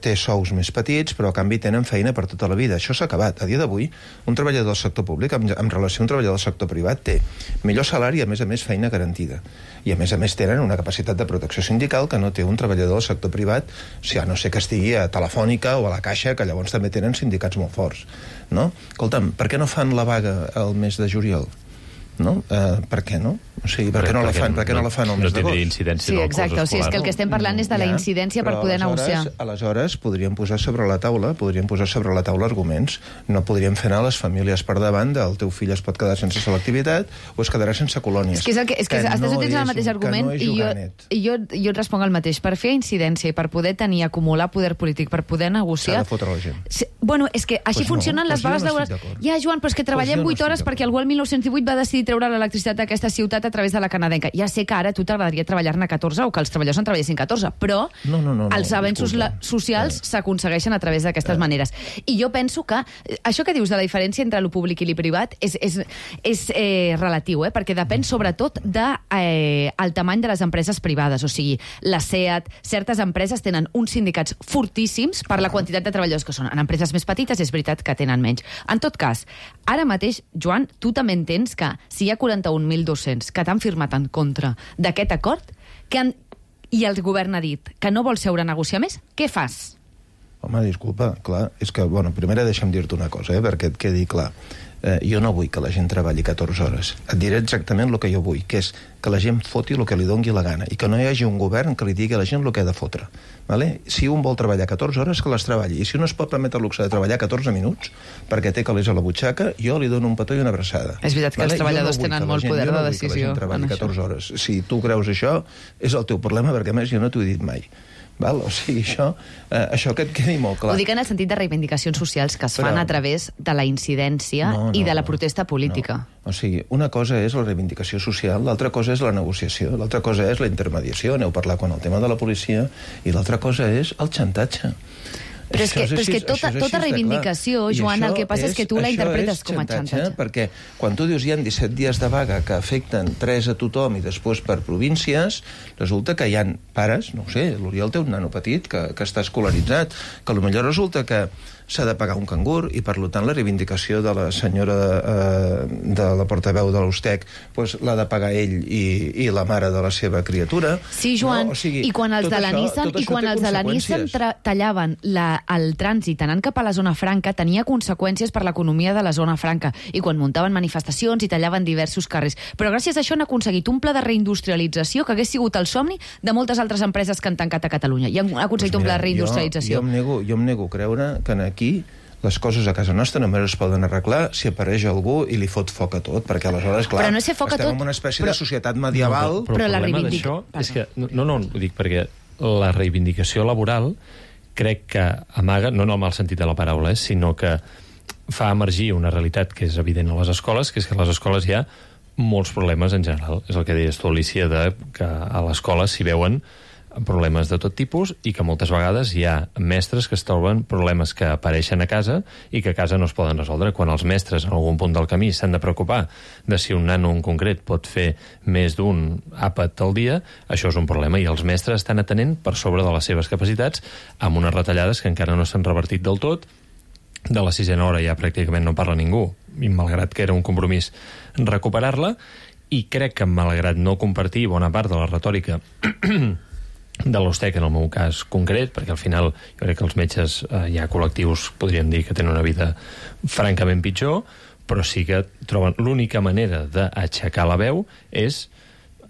té sous més petits, però a canvi tenen feina per tota la vida. Això s'ha acabat. A dia d'avui, un treballador del sector públic en relació a un treballador del sector privat té millor salari i, a més, feina garantida. I, a més, tenen una capacitat de protecció sindical que no té un treballador del sector privat, o sigui, a no ser que estigui a Telefònica o a la Caixa, que llavors també tenen sindicats molt forts, no? Escolta'm, per què no fan la vaga el mes de juliol? No? Per què no? O sigui, per què no la fan el mes d'agost? No tindria incidència en el curs escolar. Sí, exacte, o sigui, és que el que estem parlant és de la incidència per poder negociar. Aleshores podríem posar sobre la taula arguments. No podríem fer anar les famílies per davant del teu fill es pot quedar sense selectivitat o es quedarà sense colònies. És que estàs utilitzant el mateix argument i jo et responc el mateix. Per fer incidència i per poder acumular poder polític, per poder negociar... S'ha de fotre la gent. Bueno, és que així funcionen les vagues laborals. Ja, Joan, però és que treballem 8 hores perquè algú el 1918 va decidir treure l'electricitat d'aquesta ciutat a través de la canadenca. Ja sé que ara a tu t'agradaria treballar-ne 14 o que els treballadors en treballessin 14, però els avenços socials s'aconsegueixen a través d'aquestes maneres. I jo penso que això que dius de la diferència entre lo públic i lo privat és relatiu, perquè depèn sobretot del tamany de les empreses privades. O sigui, la SEAT, certes empreses tenen uns sindicats fortíssims per la quantitat de treballadors que són. En empreses més petites és veritat que tenen menys. En tot cas, ara mateix, Joan, tu també entens que si hi ha 41.200 que t'han firmat en contra d'aquest acord i el govern ha dit que no vol seure a negociar més, què fas? Home, disculpa, clar, és que, bueno, primer deixa'm dir-te una cosa, perquè et quedi clar. Jo no vull que la gent treballi 14 hores. Et diré exactament el que jo vull, que és que la gent foti el que li dongui la gana i que no hi hagi un govern que li digui a la gent el que ha de fotre. Vale? Si un vol treballar 14 hores, que les treballi. I si un es pot permetre el luxe de treballar 14 minuts perquè té calés a la butxaca, jo li dono un petó i una abraçada. És veritat que els treballadors tenen molt poder de decisió. Jo no vull que la gent treballi 14 hores. Si tu creus això, és el teu problema, perquè a més jo no t'ho he dit mai. Val? O sigui, això que et quedi molt clar. Ho dic en el sentit de reivindicacions socials que es fan a través de la incidència i de la protesta política. O sigui, una cosa és la reivindicació social, l'altra cosa és la negociació, l'altra cosa és la intermediació, aneu a parlar quan el tema de la policia, i l'altra cosa és el xantatge. Però és que tota reivindicació, Joan, el que passa és que tu la interpretes com a xantatge. Perquè quan tu dius hi ha 17 dies de vaga que afecten 3 a tothom i després per províncies, resulta que hi ha pares, no ho sé, l'Oriol té un nano petit que està escolaritzat, que potser resulta que s'ha de pagar un cangur i, per tant, la reivindicació de la senyora de la portaveu de l'Ustec l'ha de pagar ell i la mare de la seva criatura. Sí, Joan, i quan els de la Nissan tallaven el trànsit anant cap a la zona franca, tenia conseqüències per l'economia de la zona franca, i quan muntaven manifestacions i tallaven diversos carrers. Però gràcies a això han aconseguit un pla de reindustrialització que hagués sigut el somni de moltes altres empreses que han tancat a Catalunya, i han aconseguit un pla de reindustrialització. Jo em nego a creure que aquí les coses a casa nostra només es poden arreglar si apareix algú i li fot foc a tot, perquè aleshores, clar, estem en una espècie de societat medieval. Però el problema d'això és que... No, ho dic perquè la reivindicació laboral crec que amaga, no en el mal sentit de la paraula, sinó que fa emergir una realitat que és evident a les escoles, que és que a les escoles hi ha molts problemes en general. És el que deies tu, Alicia, que a l'escola s'hi veuen problemes de tot tipus i que moltes vegades hi ha mestres que es troben problemes que apareixen a casa i que a casa no es poden resoldre. Quan els mestres en algun punt del camí s'han de preocupar de si un nano en concret pot fer més d'un àpat al dia, això és un problema, i els mestres estan atenent per sobre de les seves capacitats amb unes retallades que encara no s'han revertit del tot. De la 6a hora ja pràcticament no parla ningú, i malgrat que era un compromís recuperar-la, i crec que malgrat no compartir bona part de la retòrica de l'Ustec, en el meu cas concret, perquè al final jo crec que els metges hi ha col·lectius, podríem dir, que tenen una vida francament pitjor, però sí que troben l'única manera d'aixecar la veu és,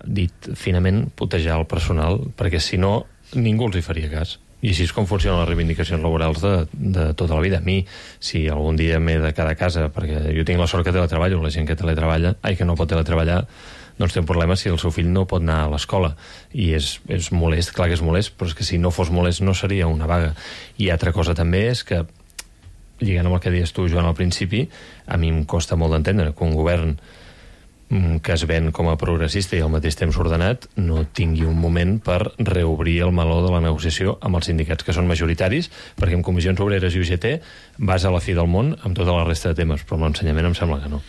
dit finament, putejar el personal, perquè si no ningú els hi faria cas. I així és com funcionen les reivindicacions laborals de tota la vida. A mi, si algun dia m'he de quedar a casa, perquè jo tinc la sort que teletreballo, la gent que que no pot teletreballar, doncs té un problema si el seu fill no pot anar a l'escola. I és molest, clar que és molest, però és que si no fos molest no seria una vaga. I altra cosa també és que, lligant amb el que deies tu, Joan, al principi, a mi em costa molt d'entendre que un govern que es ven com a progressista i al mateix temps ordenat no tingui un moment per reobrir el meló de la negociació amb els sindicats que són majoritaris, perquè amb Comissions Obreres i UGT vas a la fi del món amb tota la resta de temes, però amb l'ensenyament em sembla que no.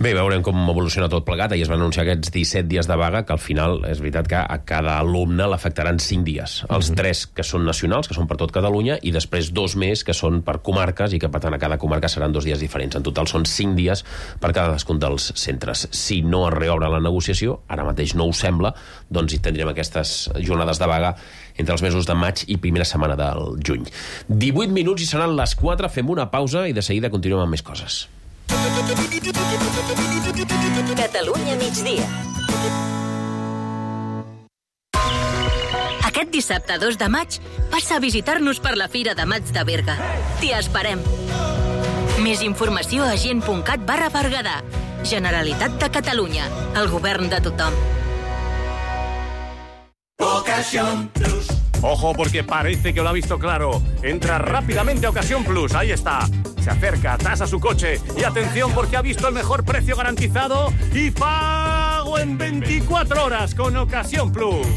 Bé, veurem com evoluciona tot plegat. Ahir es van anunciar aquests 17 dies de vaga, que al final és veritat que a cada alumne l'afectaran 5 dies. Els 3 que són nacionals, que són per tot Catalunya, i després 2 més que són per comarques, i que per tant a cada comarca seran 2 dies diferents. En total són 5 dies per cadascun dels centres. Si no es reobre la negociació, ara mateix no ho sembla, doncs hi tindrem aquestes jornades de vaga entre els mesos de maig i primera setmana del juny. 18 minuts i seran les 4, fem una pausa i de seguida continuem amb més coses. Catalunya migdia. Aquest dissabte 2 de maig passa a visitar-nos per la Fira de Maig de Berga. T'hi esperem. Més informació a gent.cat/Berguedà. Generalitat de Catalunya. El govern de tothom. Ocasión Plus. Ojo, porque parece que lo ha visto claro. Entra rápidamente a Ocasión Plus. Ahí está. Se acerca, tasa su coche. Y atención, porque ha visto el mejor precio garantizado y pago en 24 horas con Ocasión Plus.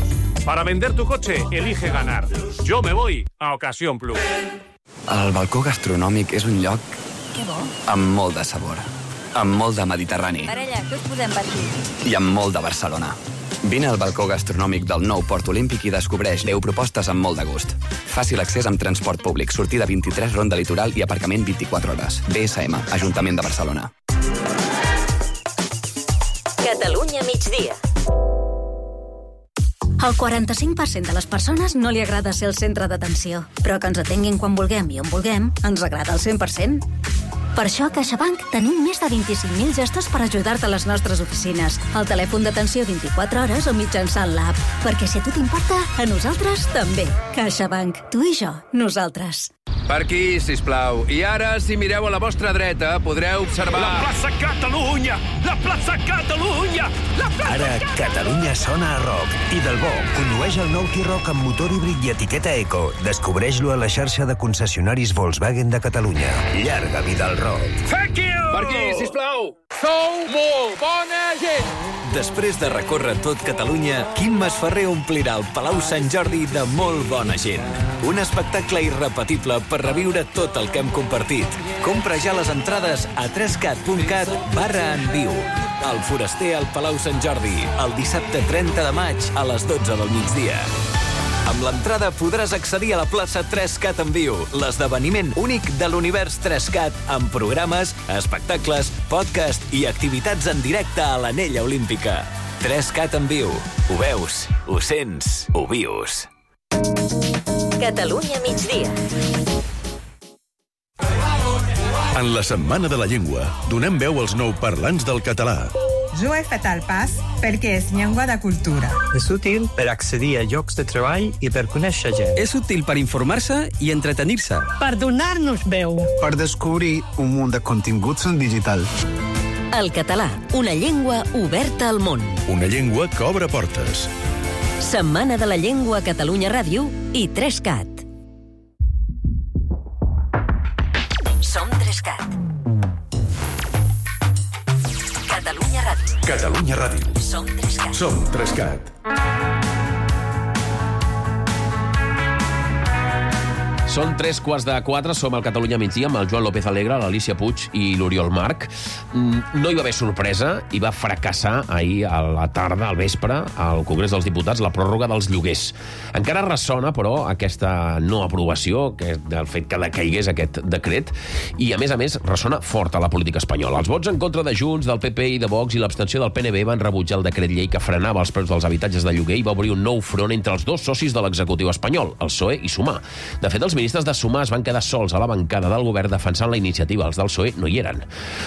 Para vender tu coche, elige ganar. Yo me voy a Ocasión Plus. El balcó gastronòmic és un lloc amb molt de sabor, amb molt de Mediterrani Parella, què us podem patir? i amb molt de Barcelona. Vine al balcó gastronòmic del nou Port Olímpic i descobreix 10 propostes amb molt de gust. Fàcil accés amb transport públic, sortida 23, ronda litoral i aparcament 24 hores. BSM, Ajuntament de Barcelona. Catalunya migdia. Al 45% de les persones no li agrada ser el centre d'atenció, però que ens atenguin quan vulguem i on vulguem ens agrada al 100%. Per això a CaixaBank tenim més de 25.000 gestos per ajudar-te a les nostres oficines, al telèfon d'atenció 24 hores o mitjançant l'app. Perquè si a tu t'importa, a nosaltres també. CaixaBank. Tu i jo. Nosaltres. Per aquí, sisplau. I ara, si mireu a la vostra dreta, podreu observar... La plaça Catalunya! La plaça Catalunya! La plaça Ara, Catalunya sona a rock. I del bo, condueix el nou T-Roc amb motor híbrid i etiqueta Eco. Descobreix-lo a la xarxa de concessionaris Volkswagen de Catalunya. Llarga vida al rock. Thank you! Per aquí, sisplau! Sou molt bona gent! Després de recórrer tot Catalunya, Quim Masferrer omplirà el Palau Sant Jordi de molt bona gent. Un espectacle irrepetible per reviure tot el que hem compartit. Compra ja les entrades a 3cat.cat/enviu. El Foraster al Palau Sant Jordi, el dissabte 30 de maig a les 12 del migdia. Amb l'entrada podràs accedir a la plaça 3Cat en viu, l'esdeveniment únic de l'univers 3Cat, amb programes, espectacles, podcast i activitats en directe a l'Anella Olímpica. 3Cat en viu. Ho veus, ho sents, ho vius. Catalunya migdia. En la Setmana de la Llengua, donem veu als nouparlants del català. Jo he fet el pas perquè és llengua de cultura. És útil per accedir a llocs de treball i per conèixer gent. És útil per informar-se i entretenir-se. Per donar-nos veu. Per descobrir un munt de continguts en digital. El català, una llengua oberta al món. Una llengua que obre portes. Setmana de la Llengua a Catalunya Ràdio i 3Cat. Som 3Cat. Catalunya Ràdio. Catalunya Ràdio. Som 3Cat. Som 3Cat. Són 3:15, som al Catalunya migdia amb el Joan López Alegre, l'Alícia Puig i l'Oriol Marc. No hi va haver sorpresa i va fracassar ahir a la tarda, al vespre, al Congrés dels Diputats, la pròrroga dels lloguers. Encara ressona, però, aquesta no aprovació, del fet que decaigués aquest decret, i, a més, ressona fort a la política espanyola. Els vots en contra de Junts, del PP i de Vox i l'abstenció del PNB van rebutjar el decret llei que frenava els preus dels habitatges de lloguer i va obrir un nou front entre els dos socis de l'executiu espanyol, el PSOE i Sumar. De fet, els ministres de Sumar es van quedar sols a la bancada del govern defensant la iniciativa. Els del PSOE no hi eren.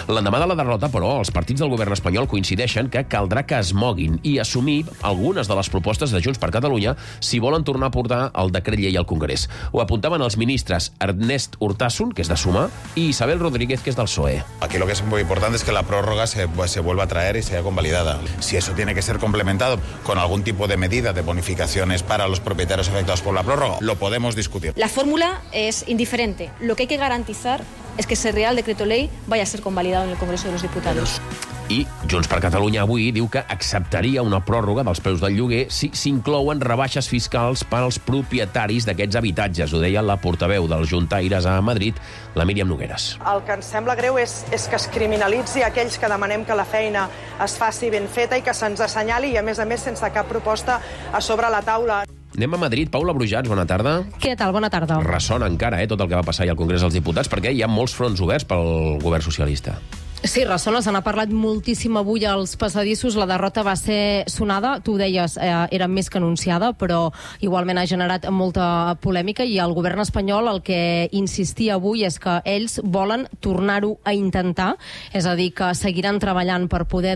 L'endemà de la derrota, però, els partits del govern espanyol coincideixen que caldrà que es moguin i assumir algunes de les propostes de Junts per Catalunya si volen tornar a portar el decret llei al Congrés. Ho apuntaven els ministres Ernest Urtasun, que és de Sumar, i Isabel Rodríguez, que és del PSOE. Aquí lo que es muy importante es que la prórroga se vuelva a traer y sea convalidada. Si eso tiene que ser complementado con algún tipo de medida de bonificaciones para los propietarios afectados por la prórroga, lo podemos discutir. La fórmula es indiferente. Lo que hay que garantizar es que ese Real Decreto Ley vaya a ser convalidado en el Congreso de los Diputados. I Junts per Catalunya avui diu que acceptaria una pròrroga dels preus del lloguer si s'inclouen rebaixes fiscals per als propietaris d'aquests habitatges. Ho deia la portaveu dels juntaires a Madrid, la Míriam Nogueras. El que ens sembla greu és que es criminalitzi aquells que demanem que la feina es faci ben feta i que se'ns assenyali i, a més, sense cap proposta a sobre la taula. Anem a Madrid. Paula Brujats, bona tarda. Què tal? Bona tarda. Ressona encara tot el que va passar ahir al Congrés dels Diputats, perquè hi ha molts fronts oberts pel govern socialista. Sí, ressona, se n'ha parlat moltíssim avui als passadissos, la derrota va ser sonada, tu ho deies, era més que anunciada, però igualment ha generat molta polèmica i el govern espanyol el que insistia avui és que ells volen tornar-ho a intentar, és a dir, que seguiran treballant per poder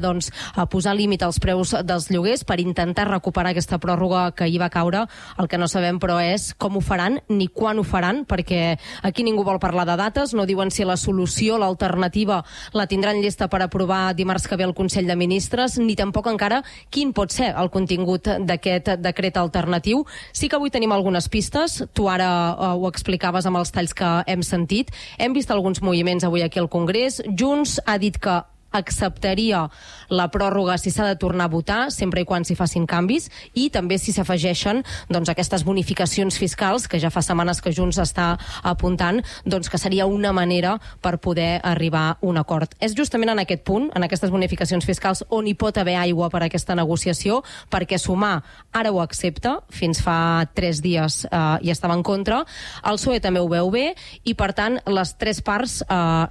posar límit als preus dels lloguers, per intentar recuperar aquesta pròrroga que hi va caure. El que no sabem, però, és com ho faran ni quan ho faran, perquè aquí ningú vol parlar de dates, no diuen si la solució, l'alternativa, la tindran llesta per aprovar dimarts que ve el Consell de Ministres, ni tampoc encara quin pot ser el contingut d'aquest decret alternatiu. Sí que avui tenim algunes pistes, tu ara ho explicaves amb els talls que hem sentit. Hem vist alguns moviments avui aquí al Congrés. Junts ha dit que acceptaria la pròrroga si s'ha de tornar a votar, sempre i quan s'hi facin canvis, i també si s'afegeixen aquestes bonificacions fiscals, que ja fa setmanes que Junts està apuntant, que seria una manera per poder arribar a un acord. És justament en aquest punt, en aquestes bonificacions fiscals, on hi pot haver aigua per a aquesta negociació, perquè Sumar ara ho accepta, fins fa 3 dies hi estava en contra, el PSOE també ho veu bé, i per tant les tres parts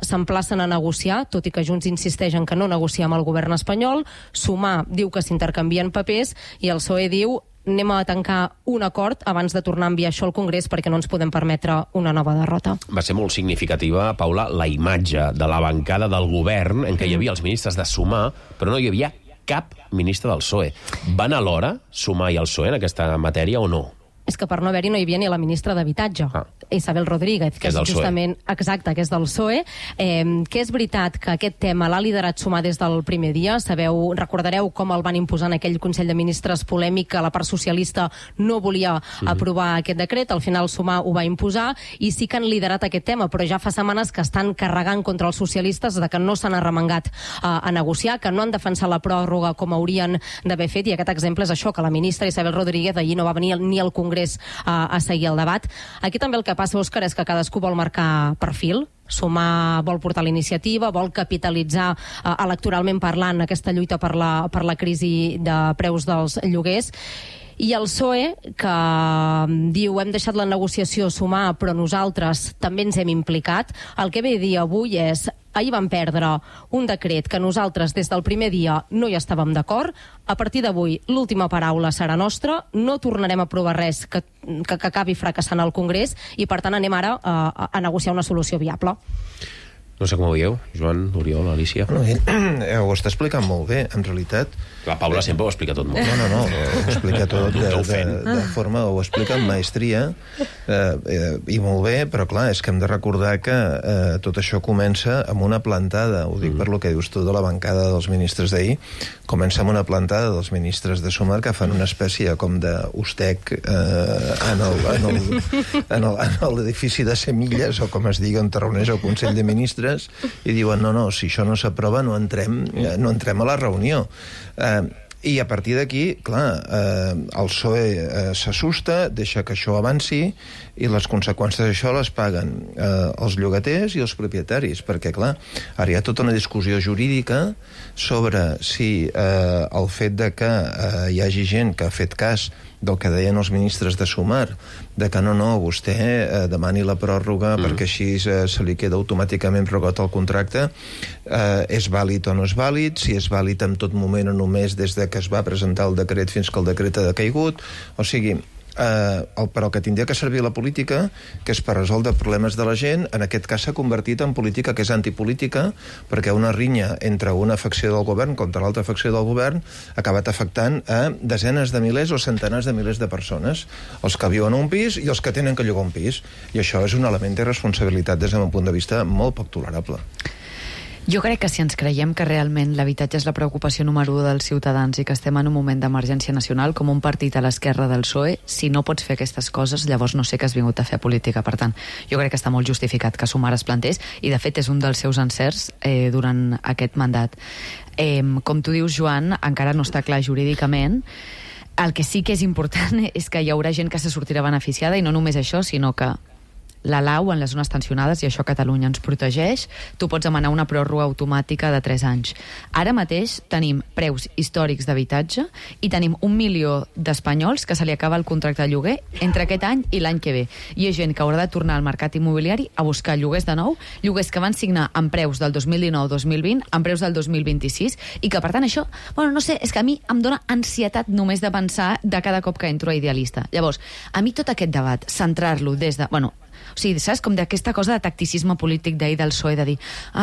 s'emplacen a negociar, tot i que Junts insisteix en que no negocia amb el govern espanyol. Sumar diu que s'intercanvien papers i el PSOE diu anem a tancar un acord abans de tornar a enviar això al Congrés perquè no ens podem permetre una nova derrota. Va ser molt significativa, Paula, la imatge de la bancada del govern en què hi havia els ministres de Sumar, però no hi havia cap ministre del PSOE. Van alhora Sumar i el PSOE en aquesta matèria o no? És que per no haver-hi no hi havia ni la ministra d'Habitatge, Isabel Rodríguez, que és justament exacte, que és del PSOE, que és veritat que aquest tema l'ha liderat Sumar des del primer dia. Sabeu, recordareu com el van imposar en aquell Consell de Ministres polèmic, que la part socialista no volia aprovar aquest decret, al final Sumar ho va imposar, i sí que han liderat aquest tema, però ja fa setmanes que estan carregant contra els socialistes de que no s'han arremangat a negociar, que no han defensat la pròrroga com haurien d'haver fet, i aquest exemple és això, que la ministra Isabel Rodríguez allí no va venir ni al Congrés a seguir el debat. Aquí també el que passa, Òscar, és que cadascú vol marcar perfil. Sumar vol portar la iniciativa, vol capitalitzar electoralment parlant aquesta lluita per la crisi de preus dels lloguers. I el PSOE, que diu hem deixat la negociació Sumar, però nosaltres també ens hem implicat, el que ve a dir avui és ahir vam perdre un decret que nosaltres des del primer dia no hi estàvem d'acord, a partir d'avui l'última paraula serà nostra, no tornarem a aprovar res que acabi fracassant al Congrés i per tant anem ara a negociar una solució viable. No sé com ho veieu, Joan, Oriol, Alicia. No, ho està explicant molt bé, en realitat. La Paula sempre ho explica tot molt bé. No, ho explica tot de forma, ho explica amb maestria, i molt bé, però clar, és que hem de recordar que tot això comença amb una plantada, ho dic per lo que dius tu de la bancada dels ministres d'ahir, comença amb una plantada dels ministres de Sumar que fan una espècie com d'ustec en l'edifici de Semilles, o com es digui, on reuneix el Consell de Ministres, i diuen, no, si això no s'aprova no entrem a la reunió. I a partir d'aquí, clar, el PSOE s'assusta, deixa que això avanci, i les conseqüències d'això les paguen els llogaters i els propietaris, perquè, clar, ara hi ha tota una discussió jurídica sobre si el fet de que hi hagi gent que ha fet cas del que deien els ministres de Sumar, de que no, vostè demani la pròrroga perquè així se li queda automàticament prorrogat el contracte, és vàlid o no és vàlid, si és vàlid en tot moment o només des de que es va presentar el decret fins que el decret ha decaigut, o sigui, però que tindria que servir la política, que és per resoldre problemes de la gent, en aquest cas s'ha convertit en política que és antipolítica, perquè una rinya entre una facció del govern contra l'altra facció del govern ha acabat afectant a desenes de milers o centenars de milers de persones, els que viuen a un pis i els que tenen que llogar un pis, i això és un element de responsabilitat des del meu punt de vista molt poc tolerable. Jo crec que si ens creiem que realment l'habitatge és la preocupació número 1 dels ciutadans i que estem en un moment d'emergència nacional, com un partit a l'esquerra del PSOE, si no pots fer aquestes coses, llavors no sé què has vingut a fer a política. Per tant, jo crec que està molt justificat que Sumar es plantés, i de fet és un dels seus encerts durant aquest mandat. Com tu dius, Joan, encara no està clar jurídicament. El que sí que és important és que hi haurà gent que se sortirà beneficiada, i no només això, sinó que la lau en les zones tensionades, i això Catalunya ens protegeix, tu pots demanar una pròrroga automàtica de 3 anys. Ara mateix tenim preus històrics d'habitatge i tenim 1 milió d'espanyols que se li acaba el contracte de lloguer entre aquest any i l'any que ve. I hi ha gent que haurà de tornar al mercat immobiliari a buscar lloguers de nou, lloguers que van signar amb preus del 2019-2020, amb preus del 2026, i que per tant això, no sé, és que a mi em dona ansietat només de pensar de cada cop que entro a Idealista. Llavors, a mi tot aquest debat, centrar-lo des de... O sigui, saps? Com d'aquesta cosa de tacticisme polític d'ahir del PSOE, de dir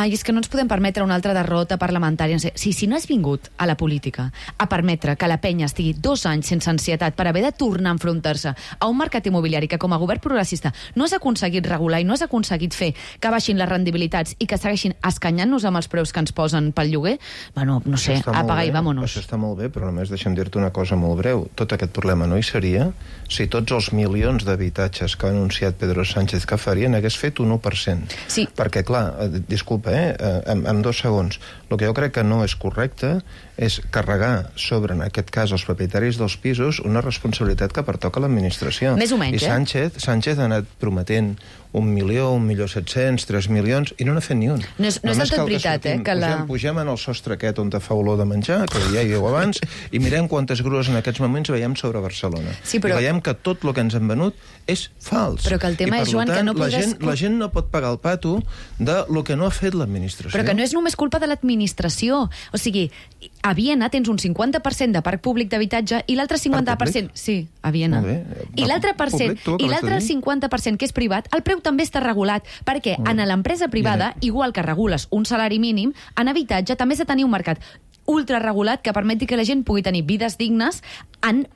és que no ens podem permetre una altra derrota parlamentària. No sé. Si no has vingut a la política a permetre que la penya estigui 2 anys sense ansietat per haver de tornar a enfrontar-se a un mercat immobiliari que com a govern progressista no has aconseguit regular i no has aconseguit fer que baixin les rendibilitats i que segueixin escanyant-nos amb els preus que ens posen pel lloguer, no sé, apaga i vámonos. Això està molt bé, però només deixa'm dir-te una cosa molt breu. Tot aquest problema no hi seria si tots els milions d'habitatges que ha anunciat Pedro Sánchez que farien hagués fet un 1%. Sí. Perquè, clar, disculpa, en 2 segons, el que jo crec que no és correcte és carregar sobre, en aquest cas, els propietaris dels pisos una responsabilitat que pertoca a l'administració. Més o menys, I Sánchez ha anat prometent 1 milió, 1.700.000, 3 milions, i no n'ha fet ni un. No és del tot veritat, que Pugem en el sostre aquest on fa olor de menjar, que ja hi heu abans, i mirem quantes grues en aquests moments veiem sobre Barcelona. Sí, però... I veiem que tot el que ens han venut és fals. Però que el tema és, Joan, que no podràs... La gent no pot pagar el pato de lo que no ha fet l'administració. Però que no és només culpa de l'administració. O sigui, a Viena tens un 50% de parc públic d'habitatge i l'altre 50%... Sí, a Viena. I l'altre 50% que és privat, el preu també està regulat, perquè en l'empresa privada, igual que regules un salari mínim, en habitatge també has de tenir un mercat ultraregulat que permeti que la gent pugui tenir vides dignes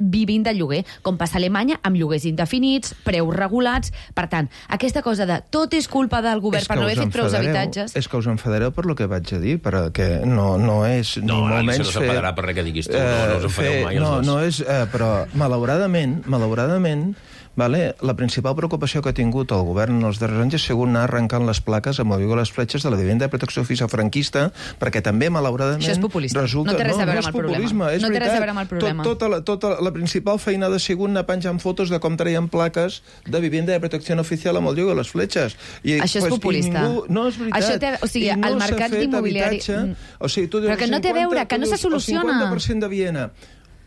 vivint de lloguer, com passa a Alemanya, amb lloguers indefinits, preus regulats. Per tant, aquesta cosa de tot és culpa del govern per no haver fet preus habitatges... És que us enfadareu per lo que vaig a dir, perquè no és ni molt menys no s'enfadarà per res que diguis tu, no us enfadeu mai els dos. No és... Però, malauradament, la principal preocupació que ha tingut el govern en els darrers anys ha sigut anar arrencant les plaques amb el vigor les fletxes de la vivenda de protecció oficial franquista, perquè també, malauradament... Això és populista. Resulta... No té res a veure amb el problema. És veritat. Tota la principal feinada ha sigut anar penjant fotos de com traien plaques de vivenda de protecció oficial amb el vigor les fletxes. Això és populista. No, és veritat. O sigui, el mercat d'immobiliari... Però que no té a veure, que no se soluciona. El 50% de Viena...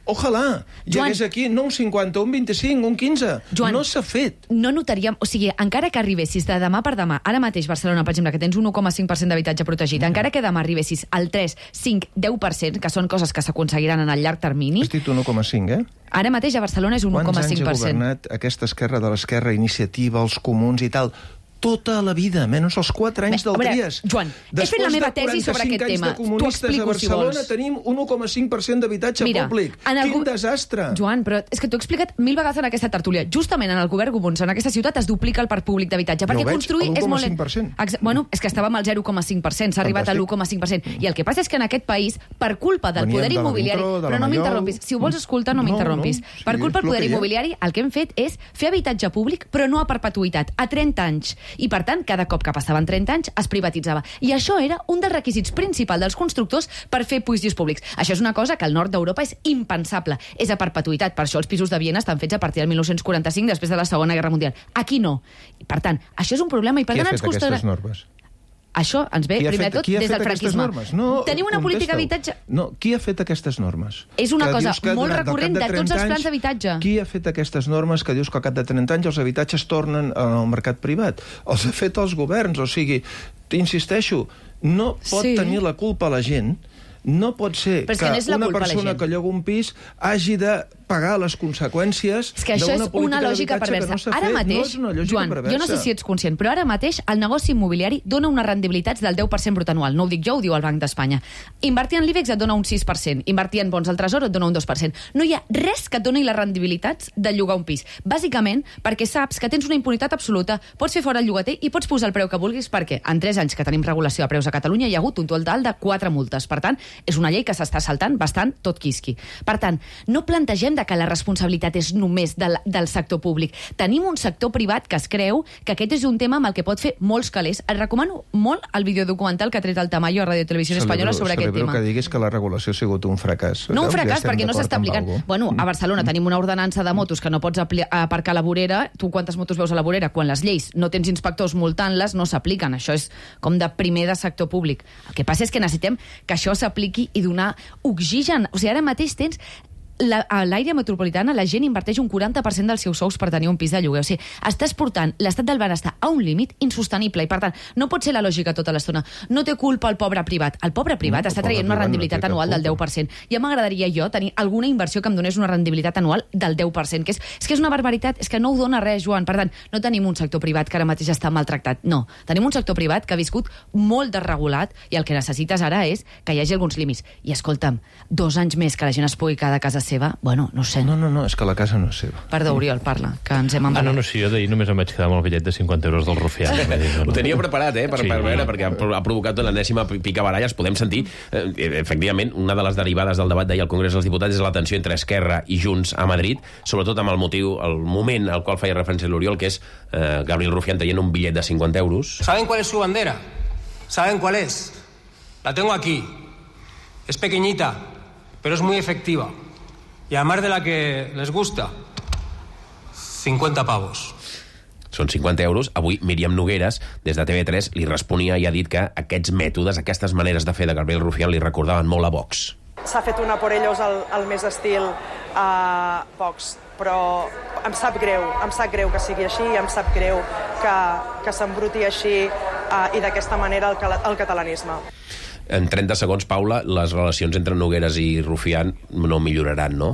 Ojalà, hi hagués aquí no un 50, un 25, un 15. Joan, no s'ha fet. No notaríem... O sigui, encara que arribessis de demà per demà, ara mateix Barcelona, per exemple, que tens un 1,5% d'habitatge protegit, encara que demà arribessis al 3, 5, 10%, que són coses que s'aconseguiran en el llarg termini... Has dit un 1,5, Ara mateix a Barcelona és un 1,5%. Quants anys ha governat aquesta esquerra de l'esquerra, Iniciativa, els comuns i tal... Tota la vida, menys els 4 anys del Trias. Joan, he fet la meva tesi sobre aquest tema. T'ho explico, si vols. A Barcelona tenim un 1,5% d'habitatge públic. Quin desastre! Joan, però és que t'ho he explicat 1000 vegades en aquesta tertúlia. Justament en el govern Comuns, en aquesta ciutat, es duplica el parc públic d'habitatge. Perquè construir és molt... 1,5%. Bueno, és que estàvem al 0,5%, s'ha arribat a l'1,5%. I el que passa és que en aquest país, per culpa del poder immobiliari... Però no m'interrompis. Si ho vols escoltar, no m'interrompis. Per culpa del poder immobiliari, el que hem fet és fer habitatge públic, però no a perpetuïtat, a 30 anys. I, per tant, cada cop que passaven 30 anys es privatitzava. I això era un dels requisits principals dels constructors per fer pisos públics. Això és una cosa que al nord d'Europa és impensable. És a perpetuïtat. Per això els pisos de Viena estan fets a partir del 1945, després de la Segona Guerra Mundial. Aquí no. I, per tant, això és un problema. I per tant ens costarà... Qui ha fet aquestes normes? Això ens ve, primer de tot, des del franquisme. Tenim una política d'habitatge... No, qui ha fet aquestes normes? És una cosa molt recurrent de tots els plans d'habitatge. Qui ha fet aquestes normes que dius que al cap de 30 anys els habitatges tornen al mercat privat? Els ha fet els governs, o sigui, insisteixo, no pot tenir la culpa la gent. No pot ser que una persona que lloga un pis hagi de pagar les conseqüències d'una política d'habitatge que no s'ha fet. És que això és una lògica perversa. Ara mateix, Joan, jo no sé si ets conscient, però ara mateix el negoci immobiliari dona unes rendibilitats del 10% brut anual. No ho dic jo, ho diu el Banc d'Espanya. Invertir en l'IBEX et dona un 6%. Invertir en bons del Tresor et dona un 2%. No hi ha res que et doni les rendibilitats de llogar un pis. Bàsicament perquè saps que tens una impunitat absoluta, pots fer fora el llogater i pots posar el preu que vulguis, perquè en 3 anys que tenim regulació de preus a Catalunya hi ha hagut un total de 4 multes. Per tant, és una llei que s'està saltant bastant tot quisqui. Per tant, no plantegem que la responsabilitat és només del sector públic. Tenim un sector privat que es creu que aquest és un tema amb el que pot fer molts calés. Et recomano molt el videodocumental que ha tret el Tamayo a Radio Televisió Espanyola sobre aquest tema. Celebro que diguis que la regulació ha sigut un fracàs. No un fracàs, perquè no s'està aplicant. Bueno, a Barcelona tenim una ordenança de motos que no pots aparcar a la vorera. Tu quantes motos veus a la vorera? Quan les lleis no tens inspectors multant-les, no s'apliquen. Això és com de primer de sector públic. El que passa és que necessitem que això s'apliqui i donar oxigen. O sigui, ara mateix tens... A l'àrea metropolitana la gent inverteix un 40% dels seus sous per tenir un pis de lloguer. O sigui, estàs portant l'estat del benestar a un límit insostenible i, per tant, no pot ser la lògica tota l'estona. No té culpa el pobre privat. El pobre privat està traient una rendibilitat anual del 10%. Ja m'agradaria jo tenir alguna inversió que em donés una rendibilitat anual del 10%, que és una barbaritat, és que no ho dona res, Joan. Per tant, no tenim un sector privat que ara mateix està maltractat. No. Tenim un sector privat que ha viscut molt desregulat i el que necessites ara és que hi hagi alguns límits. I escolta'm, 2 anys més que la gent es pugui quedar a casa seva, bueno, no sé. No, és que la casa no és seva. Perdó, Oriol, parla, que ens hem embalat. No, sí, jo d'ahir només em vaig quedar amb el bitllet de 50 euros del Rufián. Ho tenia preparat, per veure, perquè ha provocat l'enèsima picabaralles. Podem sentir, efectivament, una de les derivades del debat d'ahir al Congrés dels Diputats és la tensió entre Esquerra i Junts a Madrid, sobretot amb el moment al qual feia referència l'Oriol, que és Gabriel Rufián traient un bitllet de 50 euros. ¿Saben cuál es su bandera? ¿Saben cuál es? La tengo aquí. Es pequeñita, pero es muy efectiva. Y además de la que les gusta, 50 pavos. Són 50 euros. Avui Míriam Nogueres, des de TV3, li responia i ha dit que aquests mètodes, aquestes maneres de fer de Gabriel Rufián li recordaven molt a Vox. S'ha fet una por ellos al més estil Vox, però em sap greu que sigui així, em sap greu que s'embruti així i d'aquesta manera el catalanisme. En 30 segons, Paula, les relacions entre Nogueres i Rufián no milloraran, no?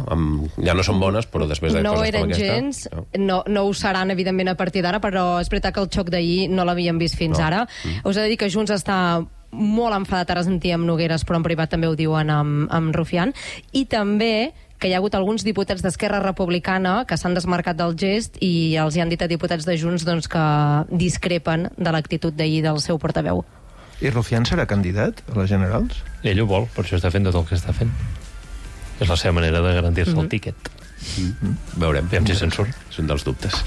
Ja no són bones, però després de coses com aquesta... No ho seran, evidentment, a partir d'ara, però és veritat que el xoc d'ahir no l'havíem vist fins ara. Us he de dir que Junts està molt enfadat, ara sentia amb Nogueres, però en privat també ho diuen amb Rufián, i també que hi ha hagut alguns diputats d'Esquerra Republicana que s'han desmarcat del gest i els hi han dit a diputats de Junts que discrepen de l'actitud d'ahir del seu portaveu. I Rufián serà candidat a les generals? Ell ho vol, per això està fent tot el que està fent. És la seva manera de garantir-se el tíquet. Veurem. Veiem si se'n surt. És un dels dubtes.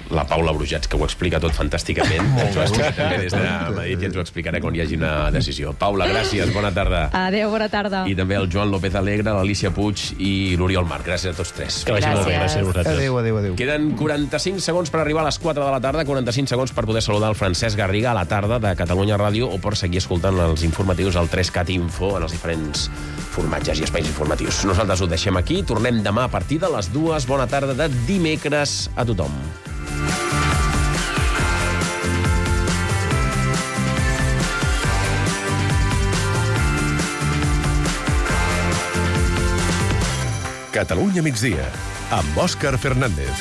La Paula Brujats, que ho explica tot fantàsticament. Ens ho explica també des de Madrid i ens ho explicarà quan hi hagi una decisió. Paula, gràcies, bona tarda. Adéu, bona tarda. I també el Joan López Alegre, l'Alicia Puig i l'Oriol Marc. Gràcies a tots tres. Que vagi molt bé, gràcies a vosaltres. Adéu. Queden 45 segons per arribar a les 4 de la tarda, 45 segons per poder saludar el Francesc Garriga a la tarda de Catalunya Ràdio o per seguir escoltant els informatius al 3CAT Info en els diferents formatges i espais informatius. Nosaltres ho deixem aquí, tornem demà a partir de les 2. Bona tarda de dimecres a tothom. Catalunya migdia, amb Òscar Fernández.